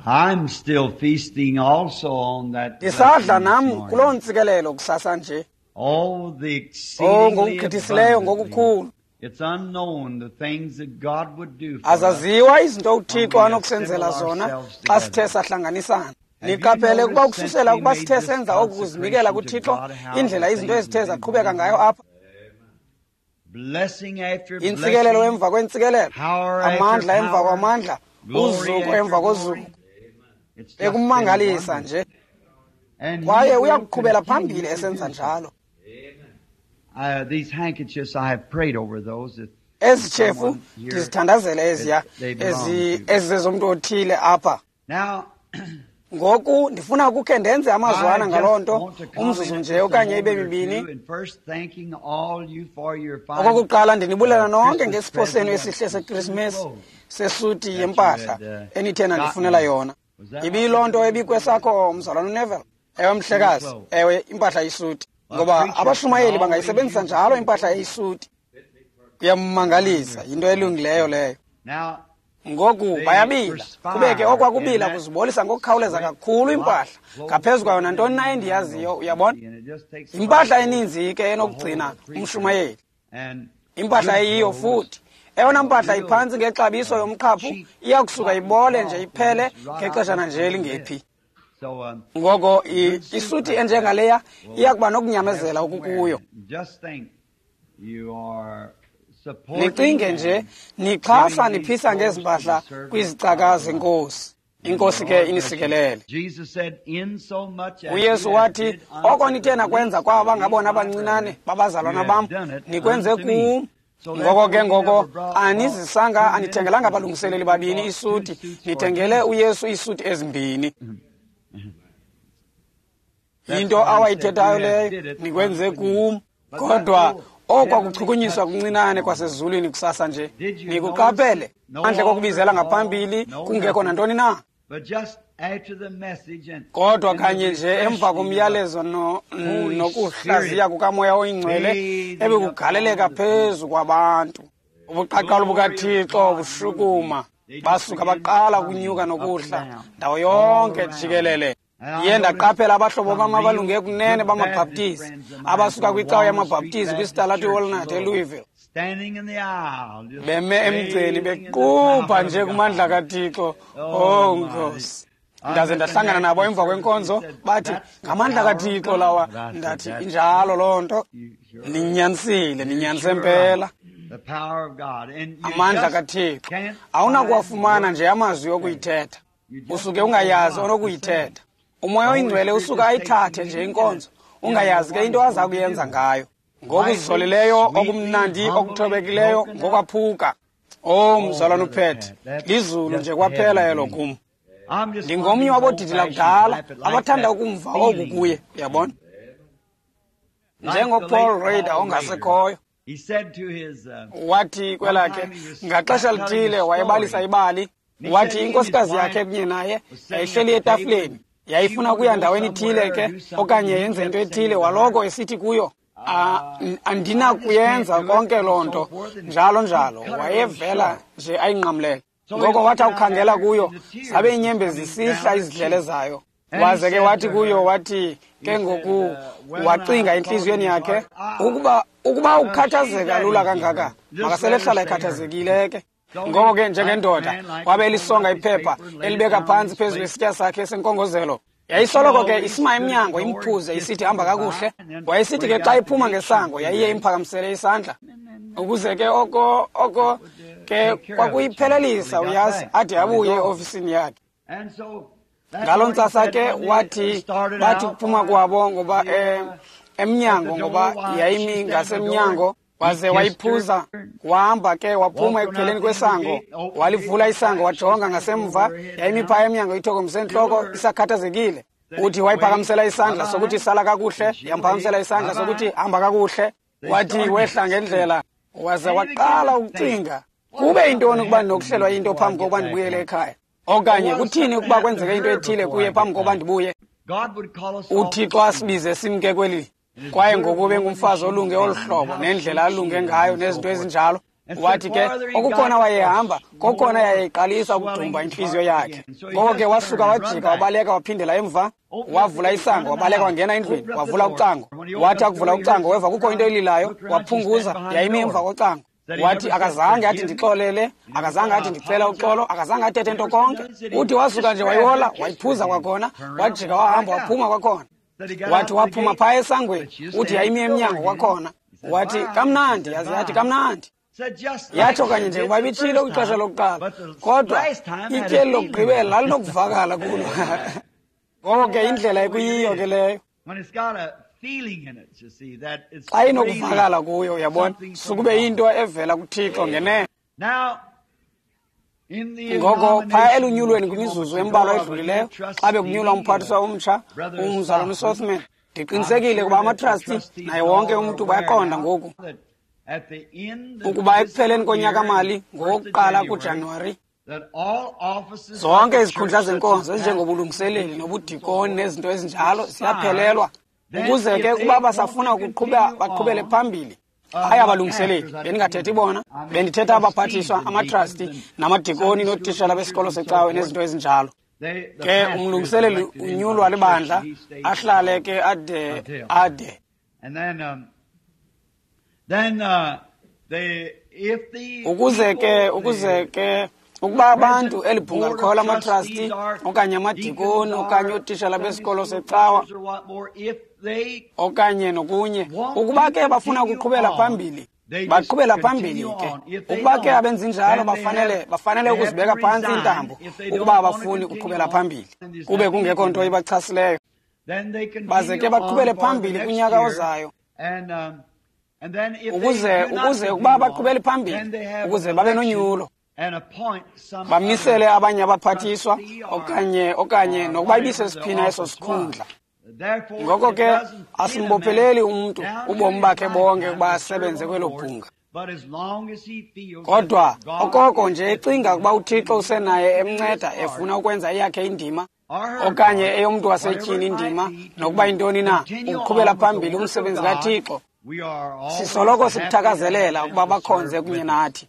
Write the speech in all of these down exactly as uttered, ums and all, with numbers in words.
I'm still feasting also on that Ndisadla blessing nam this morning. kuloo ntsikelelo kusasa nje. Oh, the Oh, exceedingly ngokugqithisileyo abundantly. ngokukhulu. It's unknown the things that God would do for us. Azaziwa izinto uThixo When we anokusenzela assemble zona ourselves xa sithe together. sahlanganisana. Have you Niqaphele ukuba noticed ukususela since we ukuba made sithe this senza oku kuzinikela consecration to kuThixo, God, how indlela the izinto things ezithe have been zaqhubeka going ngayo on? apha. Blessing after Intsikelelo blessing, emva kwentsikelelo, power after amandla emva power, kwamandla, glory uzuko after emva glory. kozuko. It's just been Bekumangalisa wonderful. nje. And he Kwaye will uyakuqhubela continue phambili to esenza do so. njalo. Uh, these handkerchiefs, I have prayed over those. If Ezi tshefu someone here ndizithandazele eziya that they belong ezi to. ezizezomntu othile apha. Now, Ngoku ndifuna ukukhe ndenze amazwana I ngaloo just nto want to comment umzuzu nje just a okanye ibe moment or two, mibini. and first thanking all you for your fine, Okokuqala ndinibulela uh, nonke Christmas ngesipho senu present esihle of seKrisimesi clothes sesuti that you yempahla had, uh, enithe nandifunela gotten. yona. Was that Ibiyiloo nto ebikwesakho mzalwana uNeville? Ewe mhlekazi, clothes. ewe impahla isuti. A Ngoba preacher abashumayeli can always bangayisebenzisa use njalo a suit. impahla eyisuti. Kuyamangalisa, yinto elungileyo leyo. Now, Ngoku they bayabila, kube ke perspire okwa in kubila that kuzibolisa ngokukhawuleza sweat kakhulu lot impahla clothes ngaphezu kwayo than nantoni na anything I endiyaziyo, know. uyabona? And it just takes a lot Yimpahla to eninzi ke to hold enokugcina a preacher. umshumayeli. And Impahla good eyiyo clothes, futhi. Eyona uh, mpahla real iphantsi ngexabiso uh, yomqhaphu cheap iya kusuka cotton ibole nje cloth will iphele just rot out ngexeshana just nje a little bit. elingephi. So um, Ngoko a i- good suit isuti like that enjengaleya iya will kuba have nokunyamezela some wear in okukuyo. it. Just think, you are supporting Nicinge nje and nixhasa giving these niphisa clothes ngezi to the mpahla servants kwizicaka of the Lord. zenkosi. And the Inkosi ke Lord bless you. inisikelele. Jesus said, in so much as uYesu you have wathi did unto oko the nithe nakwenza least kwaba of these ngabona my abancinane brethren, you babazalwana have bam done it nikwenze unto me. kum. So Ngoko therefore ke you ngoko never brought, bought anizisanga two anithengelanga ministers a balungiseleli suit, you babini bought two isuti suits for nithengele Jesus. uYesu iisuti ezimbini. That's Yinto why he said, you awayithethayo have leyo did it nikwenze unto me. kum. But that Kodwa little okwa heavenly kuchukunyiswa touch this kuncinane morning, kwasezulwini kusasa nje did you notice nikuqaphele no phandle altar kokubizela call, ngaphambili no kungekho nothing, nantoni na? but just after the message and, Kodwa and the kanye nje emva refreshing of the komyalezo no- Holy nokuhlaziya Spirit kukaMoya oyiNgcwele bathing upon ebekugaleleka the people, phezu kwabantu. Ubuqaqawuli glory of bukaThixo God moving. bushukuma, They just basuka began baqala coming ukunyuka up and nokuhla down, ndawo all yonke around. jikelele. And I Ndiye noticed ndaqaphela abahlobo some bam real abalunge kunene good Baptist bamaBhaptizi friends of mine abasuka from kwicawa Walnut Street yamaBhaptizi Baptist kwisitalato Church in iWalnut Louisville, eLouisville. standing in the aisle, just Beme emgceni bathing in the bequbha power nje of kumandla God. kaThixo. Oh Oh my. Nkosi. I Ndaze met the ndahlangana man nabo after emva service. He kwenkonzo said, bathi That's the ngamandla power of kaThixo God. lawa. And I said, Ndathi That's injalo true. loo nto. You sure are. Ninyanisile, You're ninyanise sure right. mpela. The power of God. And you Amandla just kaThixo. can't find Awunakuwafumana words nje amazwi to say. okuyithetha. You just Usuke don't know ungayazi what to say. onokuyithetha. Umoya The Holy oyiNgcwele Spirit usuka just takes the ayithathe nje lead and inkonzo, you don't know ungayazi ke what into he's aza going to kuyenza do. ngayo. Lightly, Ngokuzolileyo, sweetly, okumnandi, humbly, okuthobekileyo, broken up. ngokwaphuka. Oh Oh, mzalwana Brother uPet, Pat, that's lizulu nje just kwaphela heaven to elo me. kum. I'm just one of Ndingomnye these old wabodidi fashioned lakudala type that like abathanda that ukumva oku feeling. kuye, uyabona? Like the late NjengoPaul Paul Rader Rader. ongasekhoyo He said to his, uh, wathi one kwelakhe time he was ngaxesha telling a lithile wayebalisa story. ibali And he wathi said he and his inkosikazi yakhe wife kunye naye was sitting at yayihleli the table etafileni and she yayifuna wanted to ukuya go ndaweni ithile somewhere or ke do something okanye and he yenze kept into saying ethile to her, waloko esithi kuyo "Ah, uh, n- I just can't andinakuyenza do it konke and loo so nto forth. And njalo he njalo cut her a little wayevela short. nje ayinqamlele So he ngoko looked wathi out at akukhangela her kuyo and the tears zabe was iinyembezi coming zisihla down her izidlele cheek. zayo And he waze ke said wathi to kuyo her, wathi he ke said, ngoku uh, well, now wacinga I thought in entliziyweni his yakhe heart, ah, ukuba ukuba uh, she's ukhathazeka that lula easy kangaka hurt. Just let her makaselehlala stay hurt. ekhathazekile ke So ngoko he, ke like a njengendoda man, like wabe he folded elisonga up his iphepha paper and laid it elibeka down on phantsi his phezu plate. kwesitya sakhe senkongozelo And she yayisoloko ke always isima stood at the emnyango door and imphuze kissed isithi him hamba goodbye. kakuhle And then wayesithi when he ke xa got to the iphuma gate, she'd ngesango be yayiye ready. imphakamisele isandla And then ukuze ke oko oko that would uh, ke take care of it, you know, till kwakuyiphelelisa he got uyazi back ade from his abuye office. eofisini yakhe And so that's ngaloo what he ntsasa said ke when they wathi started bathi out. kuphuma Why, kwabo ngoba the, eh, uh, at the emnyango door, ngoba why, she yayimi stood at the door ngasemnyango and he waze kissed her wayiphuza wahamba ke waphuma walked on out ekupheleni the end of the kwesango gate, opened the gate, walivula looked isango back. She wajonga standing ngasemva over her head yayimi down. phaya emnyango ithokomise Still entloko hurt. isakhathazekile Said, uthi wave, wayiphakamisela isandla sokuthi bye-bye. sala kakuhle And she yamphakamisela waved, isandla sokuthi bye-bye. hamba kakuhle They wathi started wehla ngendlela waze And he began waqala to think, ukucinga what kube if something yintoni ukuba happened to me ndinokuhlelwa yinto before I phambi get kokuba back ndibuyele home? ekhaya Or okanye what if kuthini something ukuba happened to kwenzeke into her ethile before kuye I get phambi kokuba back? ndibuye God would call us off the uThixo scene. asibize simke kweli And as kwaye good a ngoku woman as bengumfazi she olunge was olu and hlobo how nendlela sweet she alunge is ngayo and so nezinto forth, ezinjalo Wathi ke okukhona wayehamba, kokhona yayiqalisa ukudumba intliziyo yakhe. Ngoko ke wasuka wajika wabaleka waphindela emva, wavula isango, wabaleka wangena endlwini, wavula ucango. Wathi akuvula ucango weva kukho into elilayo, waphunguza, yayimi emva kocango. Wathi akazange athi ndixolele, akazange athi ndicela uxolo, akazange athethe nto konke. Uthi wasuka nje wayihola, wayiphuza kwakhona, wajika wahamba waphuma kwakhona. Wathi waphuma phaya esangweni, uthi yayimi emnyango kwakhona. Wathi kamnandi, yaze yathi kamnandi. Yatsho kanye nje kuba ibitshilo kwixesha lokuqala, kodwa ityeli lokugqibela lalinokuvakala kulo. Ngoko ke indlela ekuyiyo ke leyo. Xa inokuvakala kuyo, uyabona, sukube into evela kuThixo ngenene. Ngoko phaya elunyulweni kwimizuzu embalwa edlulileyo, xa bekunyulwa umphathiswa omtsha, umzalwana uSothman, ndiqinisekile ukuba amatrasti naye wonke umntu bayaqonda ngoku ukuba ekupheleni konyaka-mali ngowokuqala kuJanuwari, zonke izikhundla zenkonzo ezinjengobulungiseleli nobudikoni nezinto ezinjalo ziyaphelelwa, ukuze ke ukuba basafuna ukuqhuba baqhubele phambili. Hayi abalungiseleli, bendingathethi bona, bendithetha abaphathiswa, amatrasti namadikoni nootishala besikolo secawe nezinto ezinjalo. Ke umlungiseleli unyulwa libandla, ahlale ke ade ade. Ukuze ke ukuze ke ukuba abantu eli bhunga likhoyo lamatrasti okanye amadikoni okanye ootishala besikolo secawa okanye nokunye, ukuba ke bafuna ukuqhubela phambili, baqhubela phambili ke. Ukuba ke abenzi njalo, bafanele bafanele ukuzibeka phantsi iintambo ukuba abafuni ukuqhubela phambili, kube kungekho nto ibachasileyo, baze ke baqhubele phambili kunyaka ozayo. Ukuze ukuze ukuba baqhubele phambili, ukuze babe nonyulo, bamisele abanye abaphathiswa okanye okanye nokuba ibisesiphina eso sikhundla. Ngoko ke asimbopheleli umntu ubomi bakhe bonke ukuba asebenze kwelo bhunga. Kodwa okoko nje ecinga ukuba uThixo usenaye emnceda efuna ukwenza eyakhe indima okanye eyomntu wasetyhini indima, nokuba yintoni na, ukuqhubela phambili umsebenzi kaThixo, sisoloko sikuthakazelela ukuba bakhonze kunye nathi.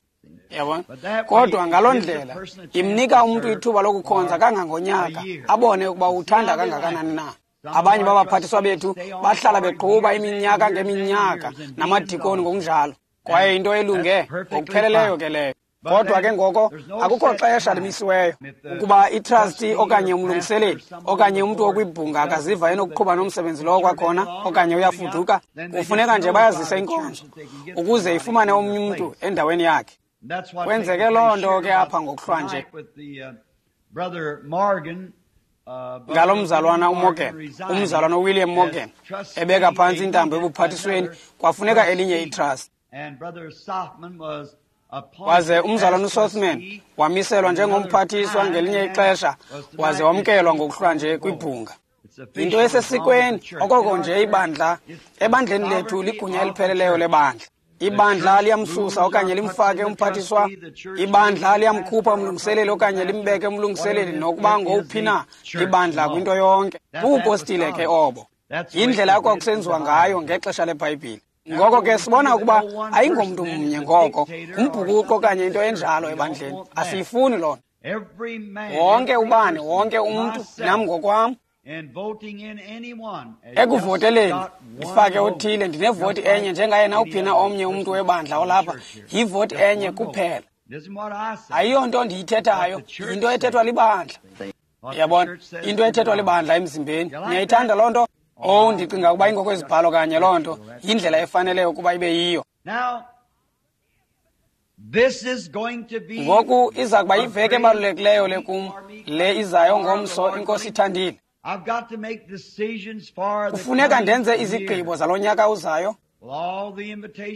Yabona? Kodwa ngaloo ndlela imnika umntu ithuba lokukhonza kangangonyaka, abone ukuba uthanda kangakanani na. Abanye babaphathiswa bethu bahlala beqhuba iminyaka ngeminyaka namadikoni ngokunjalo, kwaye into elunge ngokupheleleyo ke leyo. Kodwa ke ngoko akukho xesha limisiweyo ukuba itrasti okanye umlungiseleli okanye umntu okwibhunga akaziva enokuqhuba nomsebenzi lowo kwakhona okanye uyafuduka, kufuneka nje bayazise inkonzo ukuze ifumane omnye umntu endaweni yakhe. Kwenzeke loo nto ke apha ngokuhlwa nje ngalo mzalwana uMorgan, umzalwana uWilliam Morgan, ebeka phantsi intambo ebuphathisweni, kwafuneka elinye itrust. Waze umzalwana uSothman wamiselwa njengomphathiswa ngelinye ixesha, waze wamkelwa ngokuhlwa nje kwibhunga. Yinto esesikweni okoko nje ibandla, ebandleni lethu ligunya elipheleleyo lebandla. Ibandla liyamsusa okanye limfake umphathiswa, ibandla liyamkhupha umlungiseleli okanye limbeke umlungiseleli, nokuba ngowuphi na ibandla kwinto yonke. Bubupostile ke obo. Yindlela ekwakusenziwa ngayo ngexesha leBhayibhile. Ngoko ke sibona ukuba ayingomntu mnye ngoko, ngumbhukuqo okanye into enjalo ebandleni. Asiyifuni loo nto. Wonke ubani, wonke umntu, nam ngokwam, ekuvoteleni ndifake othile, ndinevoti enye njengaye nawuphi na omnye umntu webandla olapha, yivoti enye kuphela. Ayiyonto ndiyithethayo, yinto ethethwa libandla. Yabona, into ethethwa libandla emzimbeni. Niyayithanda loo nto? Oh, ndicinga ukuba ingokwezibhalo kanye loo nto yindlela efaneleyo ukuba ibe yiyo. Ngoku iza kuba yiveki ebalulekileyo le kum, le izayo ngomso, iNkosi ithandile. Kufuneka ndenze izigqibo zalo nyaka uzayo.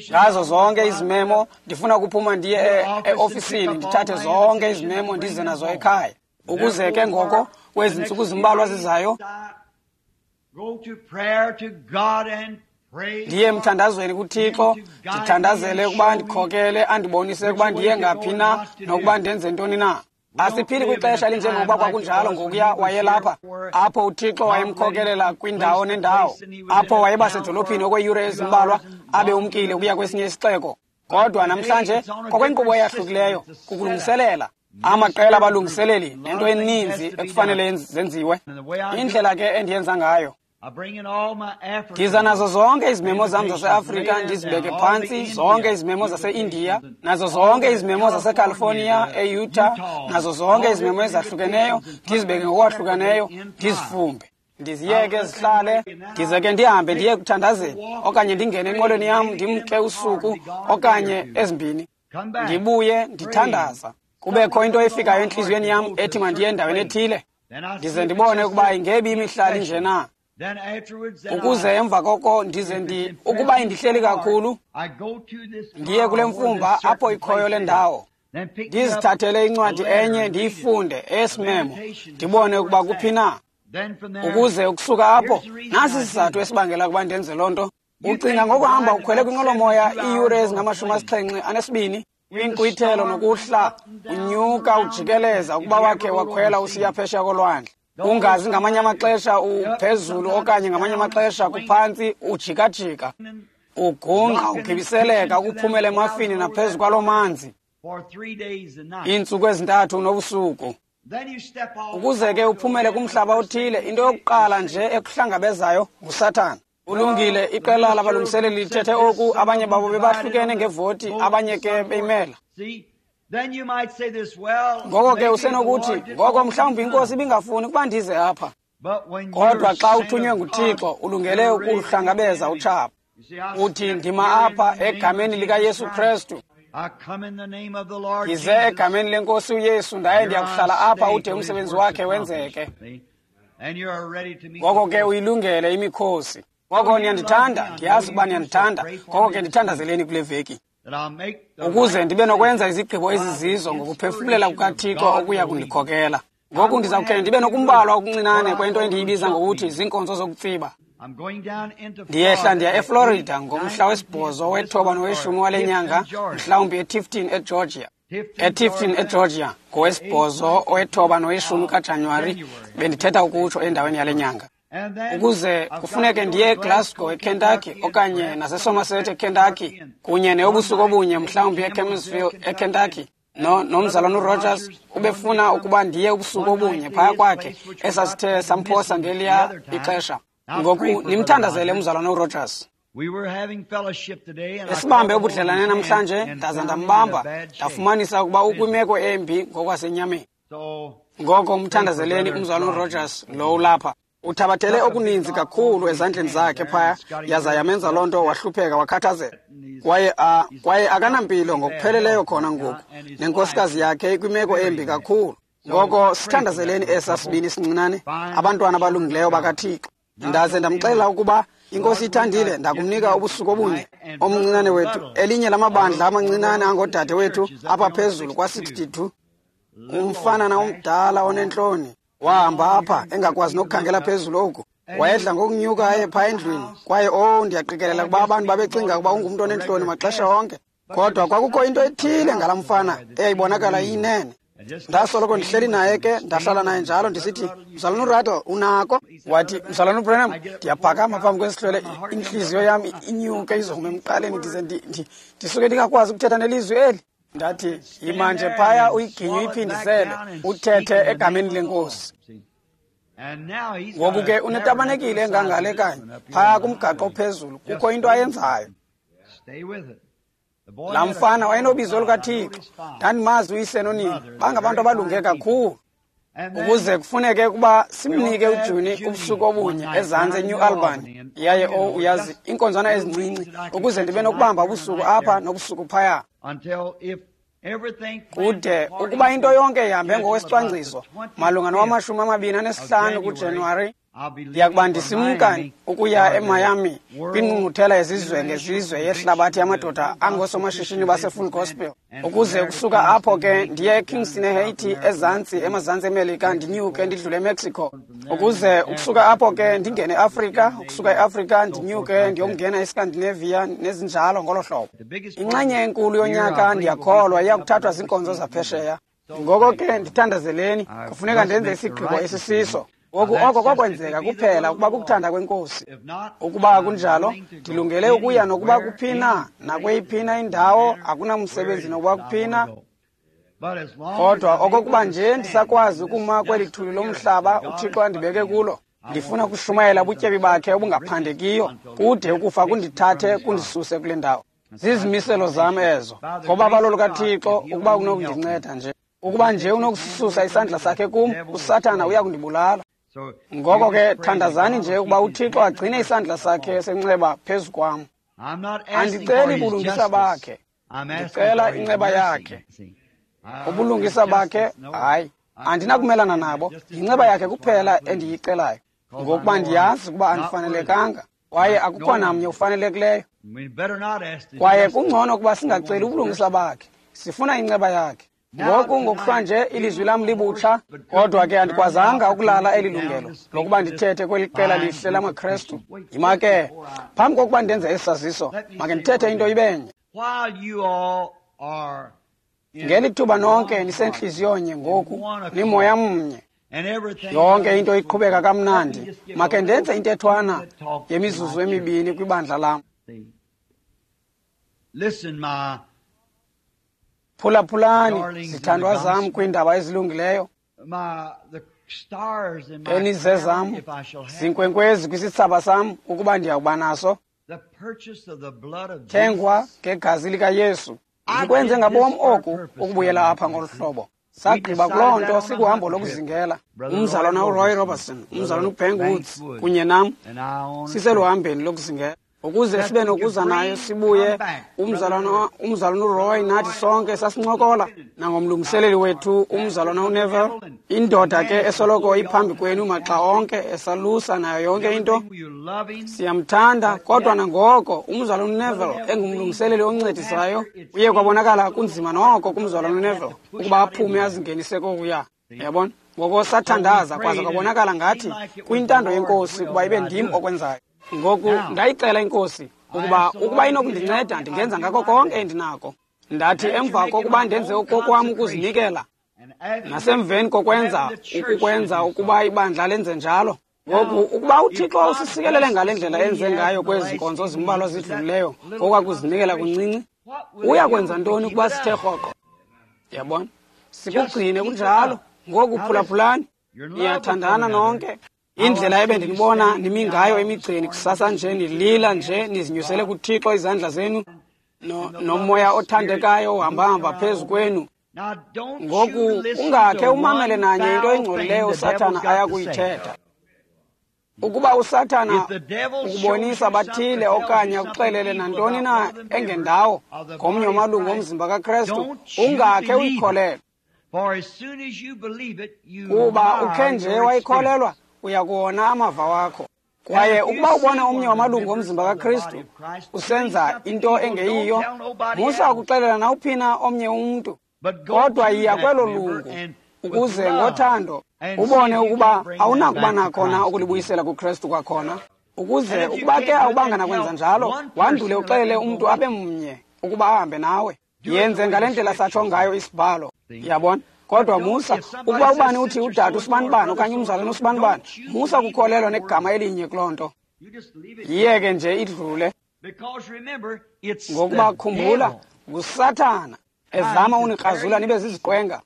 Ngazo zonke izimemo, ndifuna ukuphuma ndiye eofisini ndithathe zonke izimemo ndize nazo ekhaya. Ukuze ke ngoko kwezi ntsuku zimbalwa zizayo ndiye emthandazweni kuThixo, ndithandazele ukuba ndikhokele, andibonise ukuba ndiye ngaphi na nokuba ndenze ntoni na. Asiphili kwixesha elinjengokuba kwakunjalo ngokuya wayelapha, apho uThixo wayemkhokelela kwindawo nendawo, apho wayeba sedolophini okweeyure ezimbalwa abe umkile ukuya kwesinye isixeko. Kodwa namhlanje kwakwenkqubo eyahlukileyo kukulungiselela amaqela abalungiseleli nento eninzi ekufanele zenziwe. Indlela ke endiyenza ngayo, ndiza nazo zonke izimemo zam zaseAfrika ndizibeke phantsi, zonke izimemo zaseIndiya, nazo zonke izimemo zaseCalifornia, eUtah, nazo zonke izimemo ezahlukeneyo, ndizibeke ngokwahlukeneyo, ndizifumbe. Ndiziyeke zihlale, ndize ke ndihambe ndiye kuthandazeni, okanye ndingene enqwelweni yam ndimke usuku okanye ezimbini. Ndibuye ndithandaza. Kubekho into efikayo entliziyweni yam ethi mandiye endaweni ethile. Ndize ndibone ukuba ingebi imihlali nje na. Ukuze emva koko ndize ndi ukuba indihleli kakhulu, ndiye kule mfumba apho ikhoyo le ndawo. Ndizithathele incwadi enye ndiyifunde eyesimemo, ndibone ukuba kuphi na. Ukuze ukusuka apho, nasi isizathu esibangela ukuba ndenze loo nto. Ucinga ngokuhamba ukhwele kwinqwelomoya iiyure ezingamashumi asixhenxe anesibini, kwinkqwithelo nokuhla, unyuka ujikeleza ukuba wakhe wakhwela usiya phesheya kolwandle. Ungazi ngamanye amaxesha uphezulu okanye ngamanye amaxesha kuphantsi, ujikajika, ugungqa, ugibiseleka ukuphumela emafini naphezu kwaloo manzi iintsuku ezintathu nobusuku. Ukuze ke uphumele kumhlaba othile, into yokuqala nje ekuhlangabezayo nguSathana. Ulungile, iqela labalungiseleli lithethe oku, abanye babo bebahlukene ngevoti, abanye ke beyimela. Ngoko ke usenokuthi, ngoko mhlawumbi iNkosi ibingafuni ukuba ndize apha. Kodwa xa uthunywe nguThixo, ulungele ukuhlangabeza utshaba. Uthi, ndima apha egameni likaYesu Kristu. Ndize egameni lenkosi uYesu, ndaye ndiyakuhlala apha ude umsebenzi wakhe wenzeke. Ngoko ke uyilungele imikhosi. Ngoko niyandithanda, ndiyazi ukuba niyandithanda. Ngoko ke ndithandazeleni kule veki, ukuze ndibe nokwenza izigqibo ezizizo ngokuphefumulela kukaThixo okuya kundikhokela. Ngoku ndiza kukhe ndibe nokumbalwa okuncinane kwento endiyibiza ngokuthi ziinkonzo zokutsiba. Ndiyehla ndiya eFlorida ngomhla wesibhozo wethoba noweshumi wale nyanga, mhlawumbi eTifton eGeorgia. ETifton eGeorgia ngowesibhozo wethoba noweshumi kaJanuwari, bendithetha ukutsho endaweni yale nyanga. Ukuze kufuneke ndiye eGlasgow eKentucky okanye naseSomerset eKentucky kunye neyobusuku obunye mhlawumbi eCamsville eKentucky. No, nomzalwana uRogers ubefuna ukuba ndiye ubusuku obunye phaya kwakhe esasithe samphosa ngeliya ixesha. Ngoku nimthandazele umzalwana uRogers. Esibambe ubudlelane namhlanje, ndaza ndambamba, ndafumanisa ukuba ukwimeko embi ngokwasenyameni. Ngoko umthandazeleni umzalwana uRogers lo ulapha. Uthabathele okuninzi kakhulu ezandleni zakhe phaya, yaza yamenza loo nto wahlupheka wakhathazeka. Kwaye a kwaye akanampilo ngokupheleleyo khona ngoku, nenkosikazi yakhe ikwimeko embi kakhulu. Ngoko sithandazeleni esa sibini sincinane, abantwana abalungileyo bakaThixo. Ndaze ndamxelela ukuba iNkosi ithandile, ndakumnika ubusuku obunye omncinane wethu, elinye lamabandla amancinane angoodade wethu apha phezulu kwa-sixty-two. Umfanana omdala onentloni wahamba apha engakwazi nokukhangela phezulu oku. Wayedla ngokunyuka aye phaa endlwini, kwaye oh, ndiyaqikelela ukuba abantu babecinga ukuba ungumntu onentloni maxesha onke. Kodwa kwakukho into ethile ngalaa mfana eyayibonakala iyinene. Ndasoloko ndihleli naye ke, ndahlala naye njalo ndisithi, mzalwana uRaddle, unako? Wathi, mzalwana uBranham, ndiyaphakama phambi kwesihlwele, intliziyo yam inyuke izoma emqaleni, ndize ndisuke ndingakwazi ukuthetha nelizwi eli. Ndathi, yima nje phaya uyiginye uyiphindisele, uthethe egameni lenkosi. Ngoku ke unetabanekile engangale kanye, phaya kumgaqo ophezulu, kukho into ayenzayo. Laa mfana wayenobizo lukaThixo, ndandimazi uyise nonina, bangabantu abalunge kakhulu. Ukuze kufuneke ukuba simnike uJuni ubusuku obunye ezantsi eNew Albany, yaye oh uyazi, iinkonzwana ezincinci, ukuze ndibe nokubamba ubusuku apha nobusuku phaya. Kude ukuba into yonke ihambe ngokwesicwangciso, malunga nowamashumi amabini anesihlanu kuJanuwari, ndiyakuba ndisimka ukuya eMiami kwingqungquthela yezizwe ngezizwe yehlabathi yamadoda angoosomashishini baseFull Gospel. Ukuze ukusuka apho ke ndiye eKingston eHaiti, ezantsi emazantsi eMelika, ndinyuke ndidlule eMexico. Ukuze ukusuka apho ke ndingene eAfrika, ukusuka eAfrika ndinyuke ndiyokungena eScandinavia nezinjalo ngolo hlobo. Inxenye enkulu yonyaka ndiyakholwa iya kuthathwa ziinkonzo zaphesheya. Ngoko ke ndithandazeleni, kufuneka ndenze isigqibo esisiso. Ngoku oko kwakwenzeka kuphela ukuba kukuthanda kweNkosi. Ukuba akunjalo, ndilungele ukuya nokuba kuphina nakweyiphi indawo, akunamsebenzi nokuba kuphina. Kodwa okokuba nje ndisakwazi ukuma kweli thuli lomhlaba uThixo andibeke kulo, ndifuna ukushumayela ubutyebi bakhe obungaphandekiyo, kude ukufa kundithathe kundisuse kule ndawo. Zizimiselo zam ezo, ngobabalo lukaThixo ukuba unokundinceda nje. Ukuba nje unokususa isandla sakhe kum, uSathana uya kundibulala. Ngoko ke thandazani nje ukuba uThixo agcine isandla sakhe senceba phezu kwam. Andiceli bulungisa bakhe, ndicela inceba yakhe. Ubulungisa bakhe, hayi, andinakumelana nabo. Yinceba yakhe kuphela endiyicelayo, ngokuba ndiyazi ukuba andifanelekanga, kwaye akukho namnye ufanelekileyo. Kwaye kungcono ukuba singaceli ubulungisa bakhe, sifuna inceba yakhe. Ngoku ngokuhlwanje ilizwi lam libutsha, kodwa ke andikwazanga ukulala eli lungelo lokuba ndithethe kweli qela lihle lamaKrestu. Yima ke, phambi kokuba ndenze esi saziso, make ndithethe into ibenye. Ngeli thuba nonke nisentliziyonye ngoku, nimoya mnye, yonke into iqhubeka kamnandi, make ndenze intethwana yemizuzu emibini kwibandla lam. Phulaphulani, zithandwa zam, kwiindaba ezilungileyo, enizezam, zinkwenkwezi kwisithsaba sam, ukuba ndiyawuba naso, thengwa ngegazi likaYesu. Ndikwenze ngabom oku ukubuyela apha ngolu hlobo. Sagqiba kuloo nto sikuhambo lokuzingela. Umzalwana uRoy Robertson, umzalwana uBank Woods kunye nam siseluhambeni lokuzingela, ukuze sibe nokuza nayo sibuye. Umzalwana umzalwana uRoy nathi sonke sasincokola nangomlungiseleli wethu umzalwana uNeville, indoda ke esoloko iphambi kwenu maxa onke, esalusa nayo yonke into. Siyamthanda, kodwa nangoko umzalwana uNeville engumlungiseleli oncedisayo, uye kwabonakala kunzima noko kumzalwana uNeville ukuba aphume azingenise kokuya. Yabona? Ngoko sathandaza kwaze kwabonakala ngathi kuyintando yeNkosi ukuba ibe ndim okwenzayo. Ngoku ndayicela iNkosi ukuba ukuba inokundinceda ndingenza ngako konke endinako. Ndathi emva kokuba ndenze okokwam ukuzinikela, nasemveni kokwenza ukukwenza ukuba ibandla lenze njalo. Ngoku ukuba uThixo usisikelele ngale ndlela enze ngayo kwezi nkonzo zimbalwa zidlulileyo kokwakuzinikela kuncinci, uya kwenza ntoni ukuba sithe rhoqo? Yabona? Sikugcine kunjalo. Ngoku phulaphulani, niyathandana nonke. Indlela ebendinibona nimi ngayo emigceni kusasa nje, nilila nje, nizinyusele kuThixo izandla zenu, no, nomoya othandekayo uhambahamba phezu kwenu. Ngoku ungakhe umamele nanye into engcolileyo uSathana aya kuyithetha. Ukuba uSathana ukubonisa bathile okanye akuxelele nantoni na engendawo ngomnye wamalungu omzimba kaKrestu, ungakhe uyikholelwe. Kuba ukhe nje wayikholelwa, uya kuwona amava wakho. Kwaye ukuba ubona omnye wamalungu omzimba kaKristu usenza into engeyiyo, musa ukuxelela nawuphina omnye umntu, kodwa yiya kwelo lungu ukuze ngothando ubone ukuba awunakuba nakhona ukulibuyisela kuKristu kwakhona. Ukuze ukuba ke awubanga nakwenza njalo, wandule uxelele umntu abe mnye ukuba ahambe nawe. Yenze ngale ndlela satsho ngayo isibhalo. Yabona? Kodwa musa ukuba ubani uthi udade usibanibani okanye umzalwane usibanibani, musa kukholelwa negama elinye kuloo nto. Yiyeke nje idlule. Ngokuba khumbula, nguSathana ezama unikrazula nibe ziziqwenga.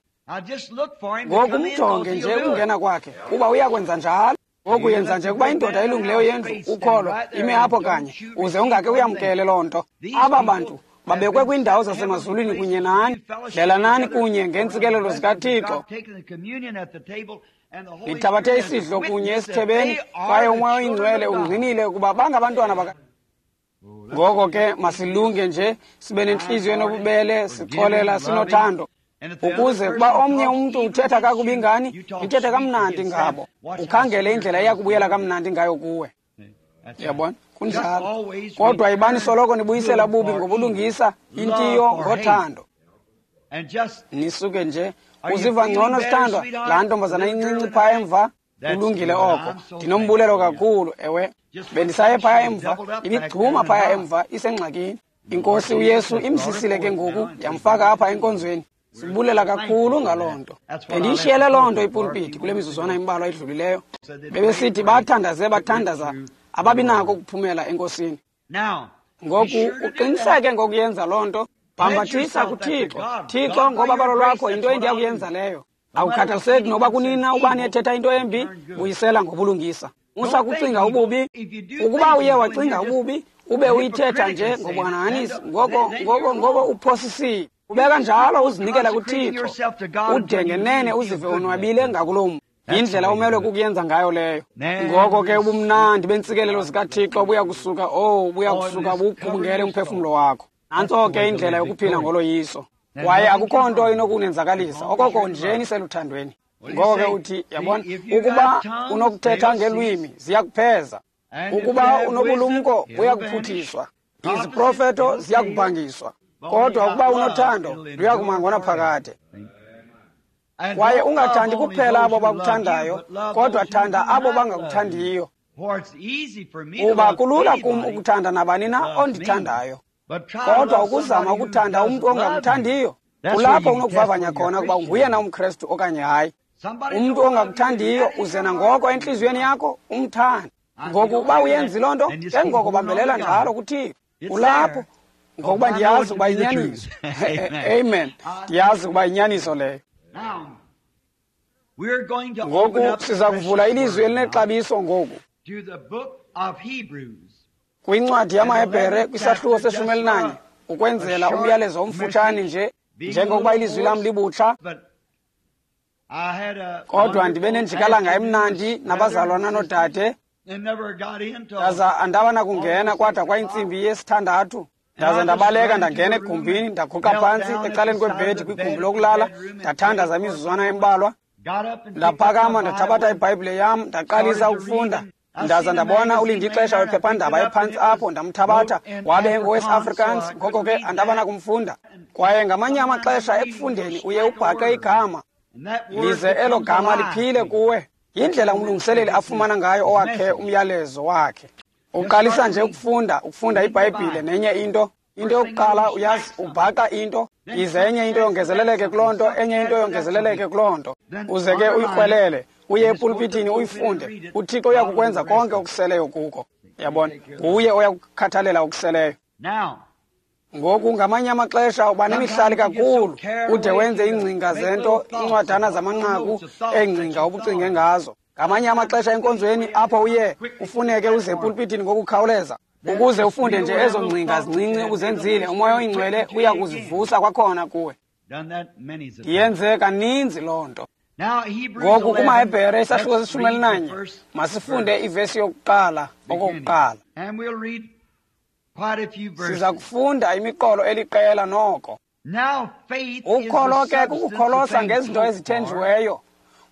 Ngoku umjonge nje ukungena kwakhe, kuba uyakwenza njalo. Ngoku yenza nje kuba indoda elungileyo yendlu ukholo ime apho kanye, uze ungake uyamkele loo nto. Aba bantu babekwe kwiindawo zasemazulwini kunye nani, dlelanani kunye ngeentsikelelo zikaThixo. Nithabathe isidlo kunye esithebeni, kwaye uMoya oyiNgcwele ungqinile ukuba bangabantwana baka. Ngoko ke masilunge nje, sibe nentliziyo enobubele, sixolela, sinothando, ukuze kuba omnye umntu uthetha kakubi ngani, nithethe kamnandi ngabo. Ukhangele indlela eya kubuyela kamnandi ngayo kuwe. Yabona? Kunjalo. Kodwa ibani soloko nibuyisela bubi ngobulungisa, intiyo ngothando. Nisuke nje uziva ngcono sithandwa, laa ntombazana incinci phaya emva, kulungile oko. Ndinombulelo kakhulu, ewe. Bendisaye phaya emva, ibigcuma phaya emva, isengxakini. INkosi uYesu imsisile ke ngoku, yamfaka apha enkonzweni. Sibulela kakhulu ngaloo nto. Bendiyishiyele loo nto ipulpiti kule mizuzwana imbalwa idlulileyo. Bebesithi bathandaze bathandaza ababinako ukuphumela enkosini. Ngoku uqiniseke ngokuyenza loo nto. Bhambathisa kuThixo. Thixo, ngobabalo lwakho yinto endiya kuyenza leyo. Akukhathaliseki noba kunina ubani ethetha into embi, buyisela ngobulungisa. Musa kucinga ububi. Ukuba uye wacinga ububi, ube uyithetha nje ngobuhanahanisi, ngoko ngoko ngoko uphosisile. Ubeka njalo uzinikela kuThixo. Ude ngenene uzive onwabile ngakuloo mntu. Yindlela umelwe kukuyenza ngayo leyo. Ngoko ke ubumnandi bentsikelelo zikaThixo buya kusuka, oh, buya kusuka bugubungele umphefumlo wakho. Nantso ke indlela yokuphila ngoloyiso. Kwaye akukho nto inokunenzakalisa, okoko nje niseluthandweni. Ngoko ke uthi, yabona, ukuba unokuthetha ngelwimi, ziyakupheza. Ukuba unobulumko, buyakuphuthiswa. Iziprofeto ziyakubhangiswa. Kodwa ukuba unothando, luyakuma ngonaphakade. Kwaye ungathandi kuphela abo bakuthandayo, kodwa thanda abo bangakuthandiyo. Kuba kulula kum ukuthanda nabani na ondithandayo. Kodwa ukuzama ukuthanda umntu ongakuthandiyo, kulapho unokuvavanya khona ukuba nguyena umKrestu okanye hayi. Umntu ongakuthandiyo uze nangoko entliziyweni yakho umthande. Ngoku ukuba uyenzi loo nto, ke ngoko bambelela njalo kuThixo. Kulapho ngokuba ndiyazi ukuba yinyaniso. Amen. Ndiyazi ukuba yinyaniso leyo. Ngoku siza kuvula ilizwi elinexabiso ngoku kwincwadi yamaHebhere kwisahluko seshumi elinanye, ukwenzela umyalezo omfutshane nje, njengokuba ilizwi lam libutsha. Kodwa ndibe nenjikalanga emnandi nabazalwana noodade, ndaza andaba nakungena kwada kwayintsimbi yesithandathu. Ndaza ndabaleka ndangena egumbini, ndaguqa phantsi ecaleni kwebhedi kwigumbi lokulala, ndathandaza imizuzwana embalwa. Ndaphakama ndathabatha ibhayibhile yam, ndaqalisa ukufunda. Ndaza ndabona ulindixesha wephephandaba ephantsi apho, ndamthabatha, wabe engowesi-Afrikaans, ngoko ke andaba nakumfunda. Kwaye ngamanye amaxesha ekufundeni uye ubhaqe igama, lize elo gama liphile kuwe. Yindlela umlungiseleli afumana ngayo owakhe umyalezo wakhe. Uqalisa nje ukufunda, ukufunda iBhayibhile nenye into. Into yokuqala uyazi ubhaqa into, ize enye into yongezeleleke kuloo nto, enye into yongezeleleke kuloo nto. Uze ke uyikrwelele, uye epulpitini uyifunde. UThixo uyakukwenza konke okuseleyo kuko. Yabona, nguye oyakukhathalela okuseleyo. Ngoku ngamanye amaxesha uba nemihlali kakhulu, ude wenze iingcinga zento, iincwadana zamanqaku eengcinga obucinge ngazo. Ngamanye amaxesha enkonzweni apho uye ufuneke uze epulpitini ngokukhawuleza, ukuze ufunde nje ezo ngcinga zincinci uzenzile, uMoya oyiNgcwele uya kuzivusa kwakhona kuwe. Yenze kaninzi loo nto. Ngoku kumaHebhere isahluko seshumi elinanye, masifunde ivesi yokuqala okokuqala. Siza kufunda imiqolo eliqela noko. Ukholo ke kukukholosa ngezinto ezithenjiweyo,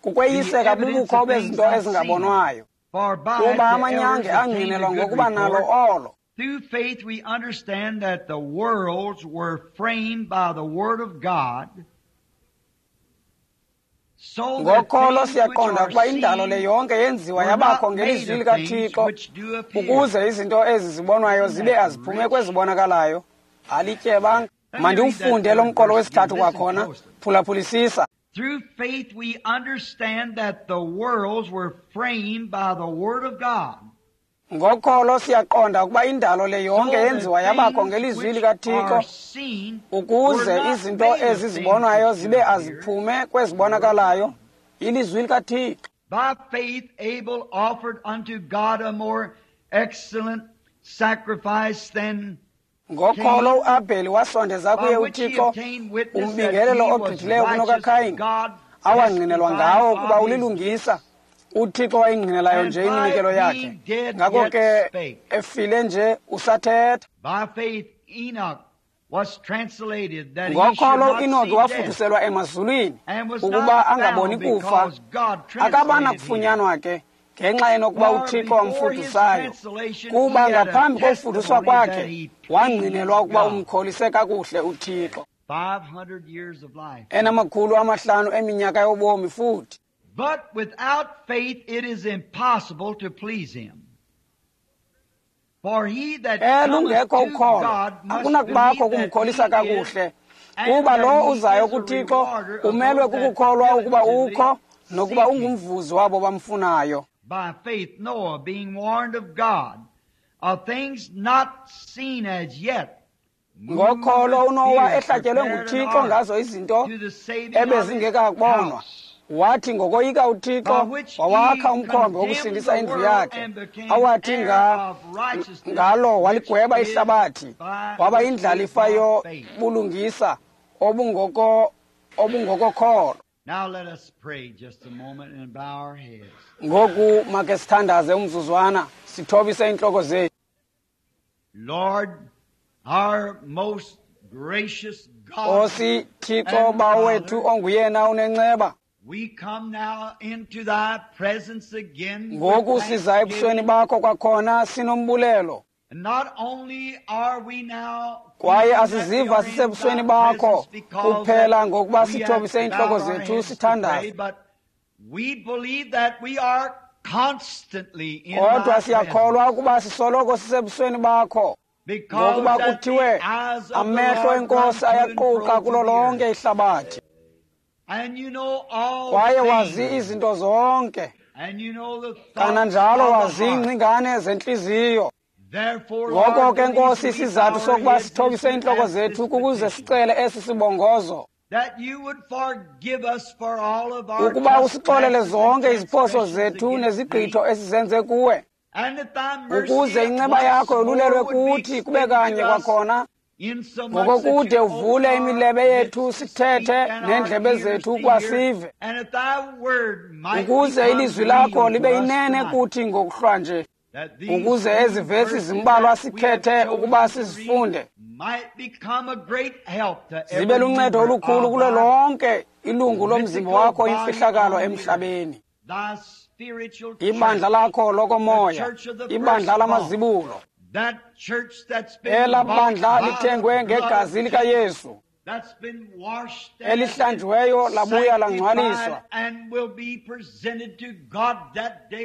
kukweyiseka bubukho bezinto ezingabonwayo. Kuba amanyange angqinelwa ngokuba nalo olo. Through faith we understand that the worlds were framed by the word of God. Ngokholo siyaqonda ukuba indalo le yonke yenziwa yabakho ngelizwi likaThixo, ukuze izinto ezi zibonwayo zibe aziphume kwezibonakalayo. Alityebanga. Mandiwufunde lo mqolo wesithathu kwakhona. Phulaphulisisa. Through faith we understand that the worlds were framed by the word of God. Ngokholo siyaqonda ukuba indalo le yonke yenziwa yabakho ngelizwi likaThixo, ukuze izinto ezi zibonwayo zibe aziphume kwezibonakalayo. Ilizwi likaThixo. By faith Abel offered unto God a more excellent sacrifice than Ngokholo uAbheli wasondeza kuye uThixo umbingelelo ogqithileyo kunokaKhayini, awangqinelwa ngawo ukuba ulilungisa. UThixo wayingqinelayo nje iminikelo yakhe. Ngako ke efile nje usathetha. Ngokholo uEnoki wafuduselwa emazulwini ukuba angaboni kufa, akabana kufunyanwa ke ngenxa enokuba uThixo wamfudusayo. Kuba ngaphambi kokufuduswa kwakhe wangqinelwa ukuba umkholise kakuhle uThixo. Enamakhulu amahlanu eminyaka yobomi futhi. But without faith it is impossible to please him. For he that cometh to God must believe that he is, Kuba lo uzayo kuThixo umelwe kukukholwa ukuba ukho nokuba ungumvuzi wabo bamfunayo. By faith Noah, being warned of God of things not seen as yet, ngokholo uNowa ehlatyelwe nguThixo ngazo izinto ebezingekabonwa, wathi ngokoyika uThixo wawakha umkhombe wokusindisa indlu yakhe, awathi nga, ngalo waligweba ihlabathi, waba yindlalifa yobulungisa obungoko obungokokholo. Now let us pray just a moment and bow our heads. Ngoku make sithandaze umzuzwana sithobise intloko zethu. Lord, our most gracious God, Nkosi Thixo Bawo wethu onguyena unenceba, we come now into thy presence again. Ngoku siza ebusweni bakho kwakhona sinombulelo. And not only are we now kwaye asiziva sisebusweni bakho kuphela ngokuba sithobise intloko zethu sithandaze, but we believe that we are constantly in kodwa siyakholwa ukuba sisoloko sisebusweni bakho, ngokuba kuthiwe amehlo enkosi ayaquqa kulo lonke ihlabathi, kwaye wazi izinto zonke, kananjalo wazi iingcingane zentliziyo. Ngoko ke Nkosi, isizathu sokuba sithobise iintloko zethu kukuze sicele esi sibongozo, ukuba usixolele zonke iziphoso zethu nezigqitho esizenze kuwe, ukuze inceba yakho yolulelwe kuthi kube kanye kwakhona, ngokokude uvule imilebe yethu sithethe neendlebe zethu ukuba sive, ukuze ilizwi lakho libe yinene kuthi ngokuhlwa nje, ukuze ezi vesi zimbalwa sikhethe ukuba sizifunde zibe luncedo olukhulu kulo lonke ilungu lomzimba wakho imfihlakalo emhlabeni, ibandla lakho lokomoya, ibandla lamazibulo, ela bandla lithengwe ngegazi likaYesu, elihlanjiweyo labuya langcwaliswa,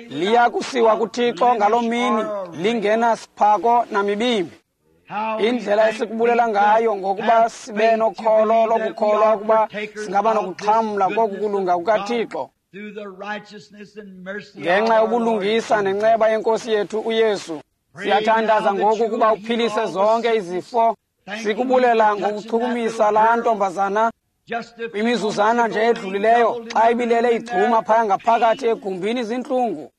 liya kusiwa kuThixo ngaloo mini lingena siphako namibimbi. Indlela esikubulela ngayo ngokuba sibe nokholo lokukholwa ukuba singaba nokuxhamla koku kulunga kukaThixo ngenxa yobulungisa nenceba yenkosi yethu uYesu. Siyathandaza ngoku ukuba uphilise zonke izifo. Sikubulela ngokuchukumisa laa ntombazana kwimizuzwana nje edlulileyo xa ibilele igcuma phaya ngaphakathi egumbini zintlungu.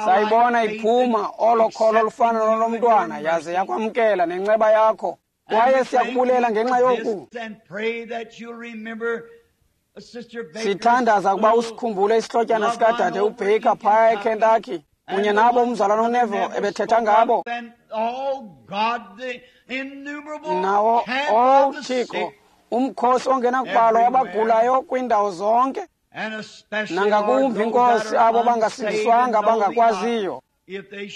Sayibona iphuma olo kholo olufana nolomntwana yaze yakwamkela nenceba yakho, kwaye siyakubulela ngenxa yoku. Sithandaza ukuba usikhumbule isihlotyana sikadade uBaker phaya eKentucky kunye nabo umzalwana uNeville ebethetha ngabo. Nawo, oh Thixo, umkhosi ongenakubalwa wabagulayo kwiindawo zonke, nangakumbi Nkosi abo bangasindiswanga bangakwaziyo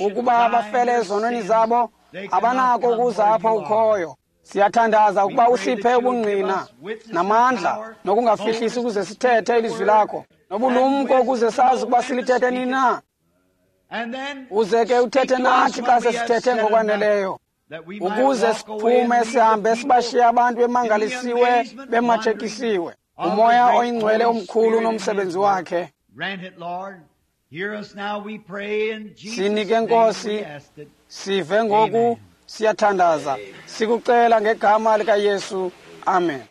ukuba bafele ezonweni zabo, abanako ukuza apho ukhoyo. Siyathandaza ukuba usiphe ubungqina namandla nokungafihlisi ukuze sithethe ilizwi lakho, nobulumko ukuze sazi ukuba silithethe nini na. Uze ke uthethe nathi xa sesithethe ngokwaneleyo, ukuze siphume sihambe sibashiye abantu bemangalisiwe bematshekisiwe. Umoya oyingcwele omkhulu nomsebenzi wakhe. Sinike Nkosi, sive ngoku, siyathandaza, sikucela ngegama likaYesu. Amen.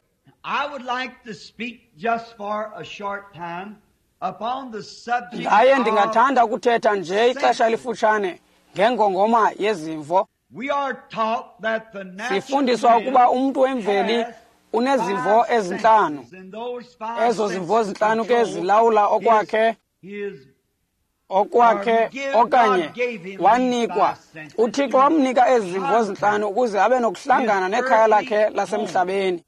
I would like to speak just for a short time upon the subject. Ndaye ndingathanda ukuthetha nje ixesha elifutshane ngengongoma yezimvo. We are taught that the natural Sifundiswa ukuba umntu wemveli unezimvo ezintlanu. Ezo zimvo zintlanu ke zilawula okwakhe okwakhe okanye wanikwa. UThixo wamnika ezi zimvo zintlanu ukuze abe nokuhlangana nekhaya lakhe lasemhlabeni.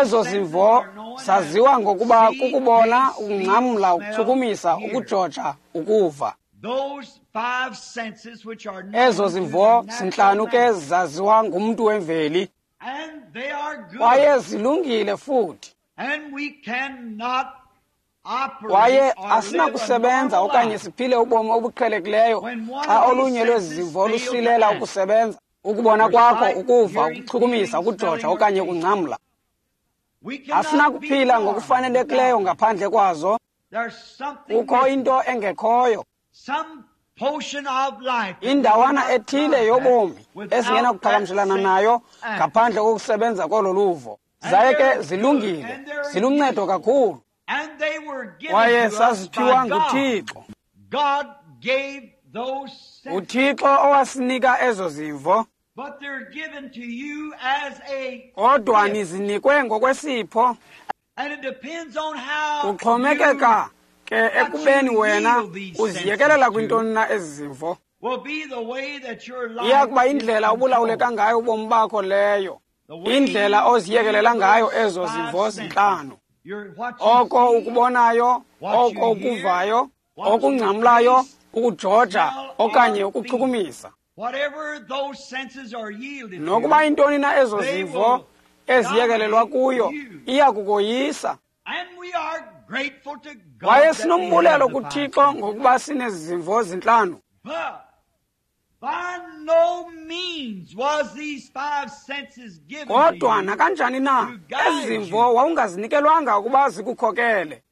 Ezo zimvo saziwa ngokuba kukubona, ukungcamla, ukuchukumisa, ukujoja, ukuva. Ezo zimvo zintlanu ke zaziwa ngumntu wemveli, kwaye zilungile futhi. Kwaye asinakusebenza okanye siphile ubomi obuqhelekileyo xa olunye lwezi zimvo lusilela ukusebenza. Ukubona kwakho, ukuva, ukuchukumisa, ukujoja okanye ukungcamla. Asinakuphila ngokufanelekileyo ngaphandle kwazo. Kukho into engekhoyo, indawana ethile yobomi esingenakuqhagamshelana nayo ngaphandle kokusebenza kolo luvo. Zaye ke zilungile, ziluncedo kakhulu, kwaye saziphiwa nguThixo. UThixo owasinika ezo zimvo, kodwa nizinikwe ngokwesipho. Kuxhomekeka ke ekubeni wena uziyekelela kwintoni na ezi zimvo. Iya kuba indlela obulawuleka ngayo ubomi bakho leyo, indlela oziyekelela ngayo ezo zimvo zintlanu. Oko ukubonayo, oko ukuvayo, okungcamlayo, ukujoja okanye ukuchukumisa. Nokuba intoni na ezo zimvo eziyekelelwa kuyo, iya kukoyisa. Kwaye sinombulelo kuThixo ngokuba sinezi zimvo zintlanu. Kodwa nakanjani na, ezi zimvo wawungazinikelwanga ukuba zikukhokele.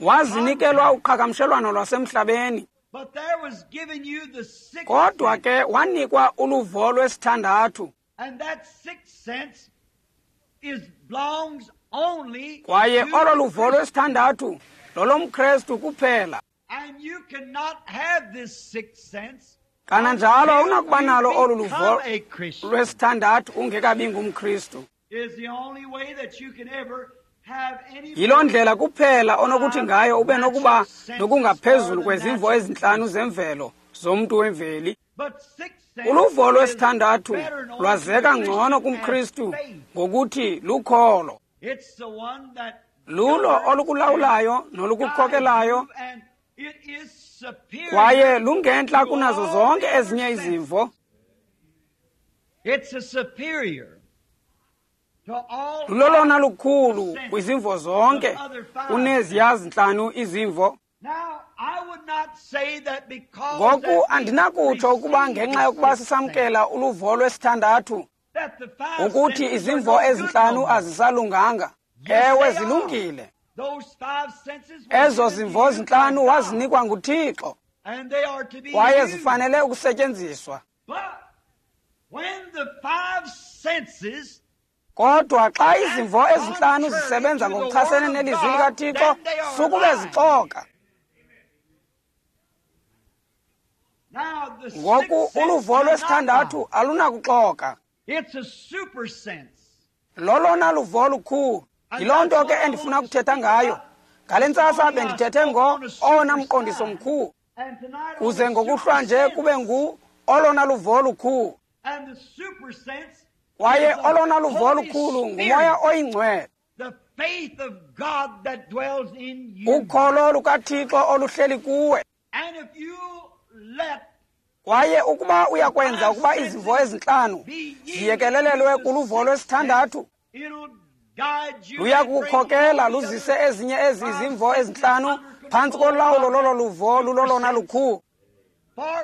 Wazinikelwa uqhagamshelwano lwasemhlabeni. Kodwa ke wanikwa uluvo lwesithandathu. Kwaye olo luvo lwesithandathu lolomKrestu kuphela. Kananjalo awunakuba nalo olu luvo lwesithandathu ungekabi ngumKristu. Yiloo ndlela kuphela onokuthi ngayo ube nokuba nokungaphezulu kwezimvo ezintlanu zemvelo zomntu wemveli. Uluvo lwesithandathu lwazeka ngcono kumKristu ngokuthi lukholo. Lulo olukulawulayo nolukukhokelayo, kwaye lungentla kunazo zonke ezinye izimvo. Lulolona lukhulu kwizimvo zonke kuneziya zintlanu izimvo. Ngoku andinakutsho ukuba ngenxa yokuba sisamkela uluvo lwesithandathu ukuthi izimvo ezintlanu azisalunganga. Ewe, zilungile. Ezo zimvo zintlanu wazinikwa nguThixo, kwaye zifanele ukusetyenziswa. Kodwa xa izimvo ezintlanu zisebenza ngokuchasene nelizwi likaThixo, sukube zixoka. Ngoku uluvo lwesithandathu alunakuxoka. Lolona luvo lukhulu. Yiloo nto ke endifuna ukuthetha ngayo. Ngale ntsasa bendithethe ngo owona mqondiso mkhulu, kuze ngokuhlwa nje kube ngu olona luvo lukhulu. Kwaye olona luvo lukhulu nguMoya oyiNgcwele, ukholo lukaThixo oluhleli kuwe. Kwaye ukuba uyakwenza ukuba izimvo ezintlanu ziyekelelelwe kuluvo lwesithandathu, luya kukhokela luzise ezinye ezi izimvo ezintlanu phantsi kolawulo lolo luvo lulolona lukhulu,